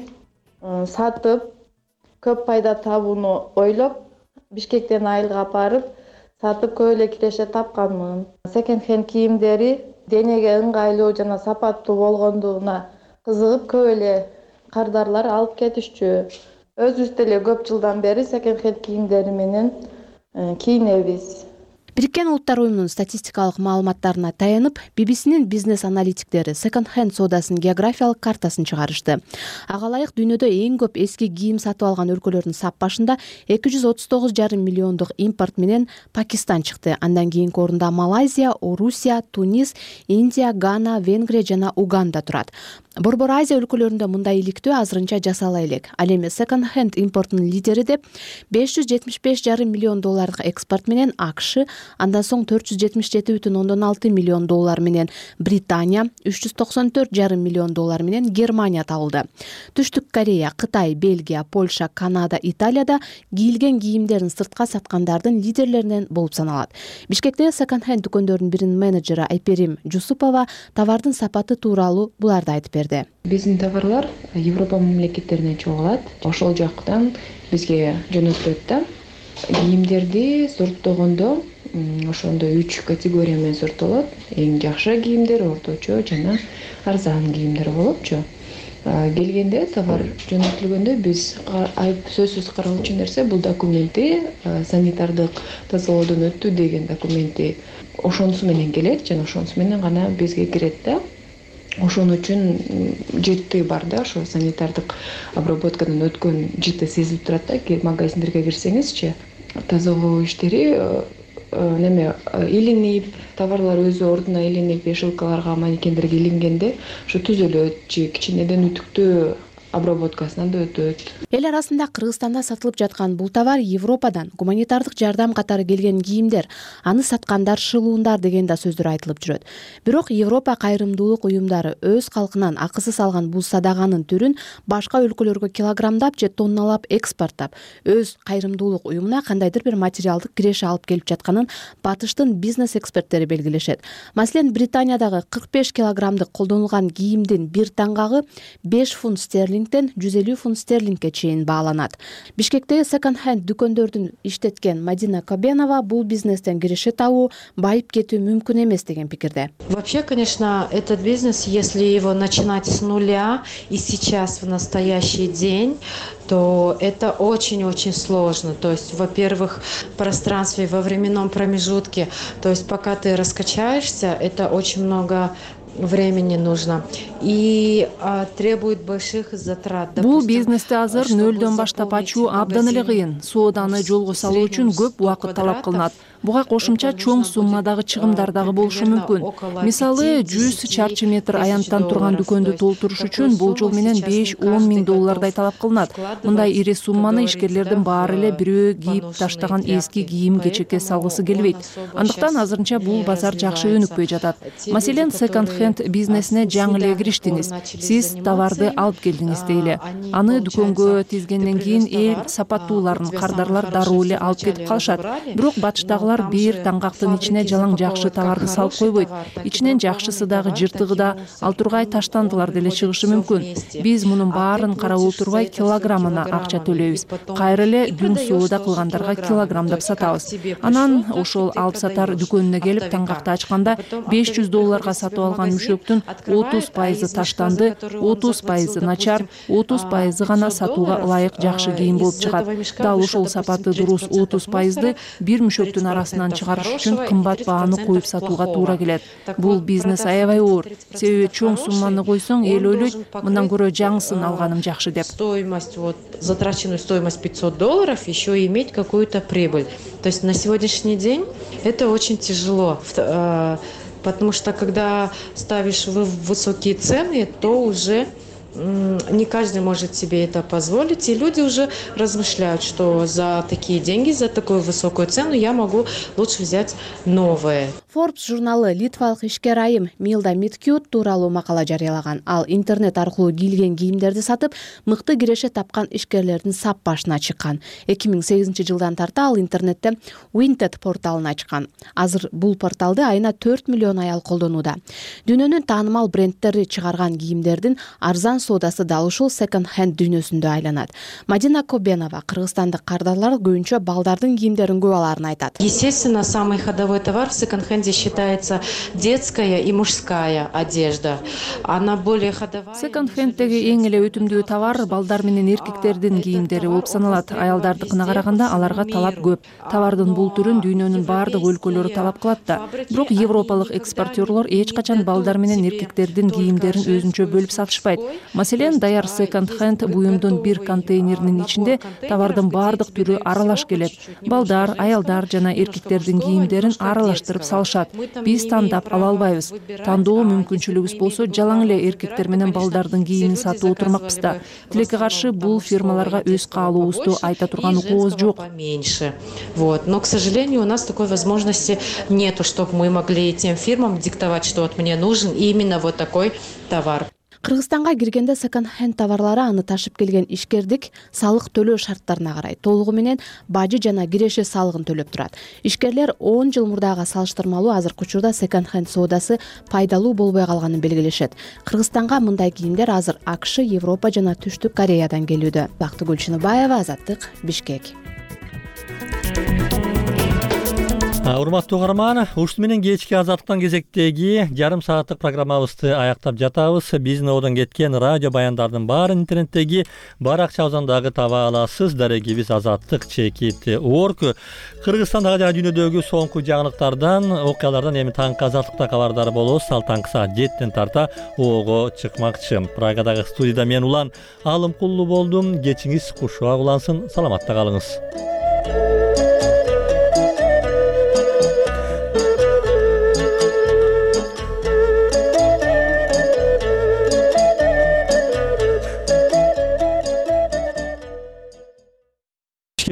сатып, көп пайда табууну ойлоп, Бишкектен айылга барып, сатып көп эле киреше тапканмын. Секонд-хенд кийимдери денеге ыңгайлуу жана сапаттуу болгондугуна кызыгып көп эле кардарлар алып кетишчү. Өзүбүз деле көп жылдан бери секонд-хенд кийимдери менен кийинебиз. Бириккен Улуттар уюмунун статистикалык маалыматтарына таянып, BBC-нин бизнес аналитиктери секонд-хенд соодасын географиялык картасын чыгарышты. Ага ылайык дүйнөдө эң көп эски кийим сатып алган өлкөлөрдүн сап башында 239,5 миллиондук импорт менен Пакистан чыкты. Андан кийинки орунда Малайзия, Орусия, Тунис, Индия, Гана, Венгрия жана Уганда турат. Борбор Азия өлкөлөрүндө мындай иликтөө азырынча жасала элек. Ал эми секонд-хенд импортунун лидери деп $575,5 миллион экспорт менен АКШ, андан соң $477,6 миллион менен Британия, $394,5 миллион менен Германия табылды. Түштүк Корея, Кытай, Бельгия, Польша, Канада, Италияда кийилген кийимдерин сыртка саткандардын лидерлеринен болуп саналат. Бишкектеги секонд-хенд дүкөндөрдүн биринин менеджери Айперим Жусупова товардын сапаты тууралуу буларды айтып берди. Биздин товарлар Европа мамлекеттеринен чогулат. Ошол жактан бизге жөнөтүлөт да. Кийимдерди сорттогондо ошондо 3 категория менен сорттолот. Эң жакшы кийимдер, орточо жана арзан кийимдер болупчу. Келгенде товар жөнөтүлгөндө биз сөзсүз каралчу нерсе бул документи, санитардык тазалоодон өттү деген документи ошонусу менен келет жана ошонусу менен гана бизге кирет да. Ошон үчүн жыты бар да, ошо санитардык обработкадан өткөн жыты сезилип турат да. Магазиндерге кирсеңизчи, тазалоо иштери илинип, товарлар өзү ордуна илинип, вешалкаларга, манекендерге илингенде ошо түзөлөт же кичинеден үтүктөө обработкасынан да өтөт. Эл арасында Кыргызстанда сатылып жаткан бул товар Европадан гуманитардык жардам катары келген кийимдер, аны саткандар шылуундар деген да сөздөр айтылып жүрөт. Бирок Европа кайрымдуулук уюмдары өз калкынан акысыз алган бул садаганын түрүн башка өлкөлөргө килограммдап же тонналап экспорттап, өз кайрымдуулук уюмуна кандайдыр бир материалдык киреше алып келип жатканын батыштын бизнес эксперттери белгилешет. Маселен, Британиядагы 45 килограммдык колдонулган кийимдин бир таңгагы 5 фунт стерлингден 150 фунт стерлингге чейин бааланат. Бишкектеги секонд-хенд дүкөндөрдүн иштеткен Мадина Кабенова бул бизнестен киреше табуу, байып кетүү мүмкүн эмес деген пикирде. Вообще, конечно, этот бизнес, если его начинать с нуля и сейчас в настоящий день, то это очень-очень сложно. То есть, во-первых, в пространстве, во временном промежутке, то есть пока ты раскачаешься, это очень много времени нужно и требует больших затрат. Бул бизнести азыр нөлдөн баштап ачуу абдан эле кыйын. Сооданы жолго салуу үчүн көп убакыт талап кылынат. Буга кошумча чоң суммадагы чыгымдар дагы болушу мүмкүн. Мисалы, 100 чарчы метр аянттан турган дүкөндү толтуруш үчүн бул жол менен $5-10 миң доллардай талап кылынат. Мындай ири сумманы ишкерлердин баары эле бирөө кийип таштаган эски кийим кечекке салгысы келбейт. Андыктан азырынча бул базар жакшы өнүкпөй жатат. Маселен, секонд-хенд бизнесине жаңы эле кириштиңиз. Сиз товарды алып келдиңиз дейли. Аны дүкөнгө тизгенден кийин эл сапаттууларын кардарлар дароо эле алып кетип калышат. Бирок батыштагылар бир таңгактын ичине жалаң жакшы товарды салып койбойт. Ичинен жакшысы дагы жыртыгы да, ал тургай таштандылар деле чыгышы мүмкүн. Биз мунун баарын карап отурбай килограммына акча төлөйбүз. Кайра эле дүң соода кылгандарга килограммдап сатабыз. Анан ошол алып сатар дүкөнүнө келип таңгакты ачканда $500 сатып алган мүшөктүн 30% таштанды, 30% начар, 30% гана сатууга ылайык жакшы кийим болуп чыгат. Дал ошол сапаты дуруз 30%ды бир мүшөктүн арасынан чыгарыш үчүн кымбат бааны коюп сатууга туура келет. Бул бизнес аябай оор. Себеби чоң сумманы койсоң, эл ойлойт, мындан көрө жаңысын алганым жакшы деп. Стоимость, затраченную стоимость $500, еще иметь какую-то прибыль. То есть на сегодняшний день это очень тяжело. Потому что когда ставишь высокие цены, то уже не каждый может себе это позволить, и люди уже размышляют, что за такие деньги, за такую высокую цену я могу лучше взять новые. Forbes журналы литвалык ишкер айым Милда Миткют тууралуу макала жарыялаган. Ал интернет аркылуу кийилген кийимдерди сатып, мыкты киреше тапкан ишкерлердин сап башына чыккан. 2008 жылдан тарта ал интернетте Vinted порталын ачкан. Азыр бул порталды айына 4 миллион аял колдонууда. Дүйнөнүн таанымал брендтери чыгарган кийимдердин арзан соодасы дал ушул секонд хенд дүйнөсүндө айланат. Мадина Кобенова кыргызстандык кардарлар көбүнчө балдардын кийимдерин көп алаарын айтат. Естественно, самый ходовой товар в секонд-хенде считается детская и мужская одежда. Она более ходовая. Секонд-хенддеги эң эле өтүмдүү товар балдар менен эркектердин кийимдери болуп саналат. Аялдардыкына караганда аларга талап көп. Товардын бул түрүн дүйнөнүн баардык өлкөлөрү талап кылат да. Бирок европалык экспортерлор эч качан балдар менен эркектердин кийимдерин өзүнчө бөлүп сатышпайт. Маселен, даяр секонд-хенд буюмдун бир контейнеринин ичинде товардын баардык түрү аралаш келет. Балдар, аялдар жана эркектердин кийимдерин аралаштырып салышат. Биз тандап ала албайбыз. Тандоо мүмкүнчүлүгүбүз болсо жалаң эле эркектер менен балдардын кийимин сатып отурмакпыз да. Тилекке каршы бул фирмаларга өз каалообузду айта турган укугубуз жок. Вот. Но, к сожалению, у нас такой возможности нету, чтобы мы могли тем фирмам диктовать, что вот мне нужен именно вот такой товар. Кыргызстанга киргенде секонд-хенд товарлары аны ташып келген ишкердик салык төлөө шарттарына карай толугу менен бажы жана киреше салыгын төлөп турат. Ишкерлер 10 жыл мурдага салыштырмалуу азыркы учурда секонд-хенд соодасы пайдалуу болбой калганын белгилешет. Кыргызстанга мындай кийимдер азыр АКШ, Европа жана Түштүк Кореядан келүүдө. Бактыгүл Чыныбаева, Азаттык, Бишкек. Урматтуу угарман, ушуну менен кечки Азаттыктан кезектеги жарым сааттык программабызды аяктап жатабыз. Биздин одон кеткен радио баяндардын баарын интернеттеги баракчабыздан дагы таба аласыз. Дарегибиз azattik.org. Кыргызстандагы жана дүйнөдөгү соңку жаңылыктардан, окуялардан эми таңкы Азаттыкта кабардар болобуз. Ал таңкы саат 7-тен тарта ого чыкмакчы. Прагадагы студияда мен Улан Алымкулуу болдум. Кечиңиз кушуак улансын. Саламатта калыңыз.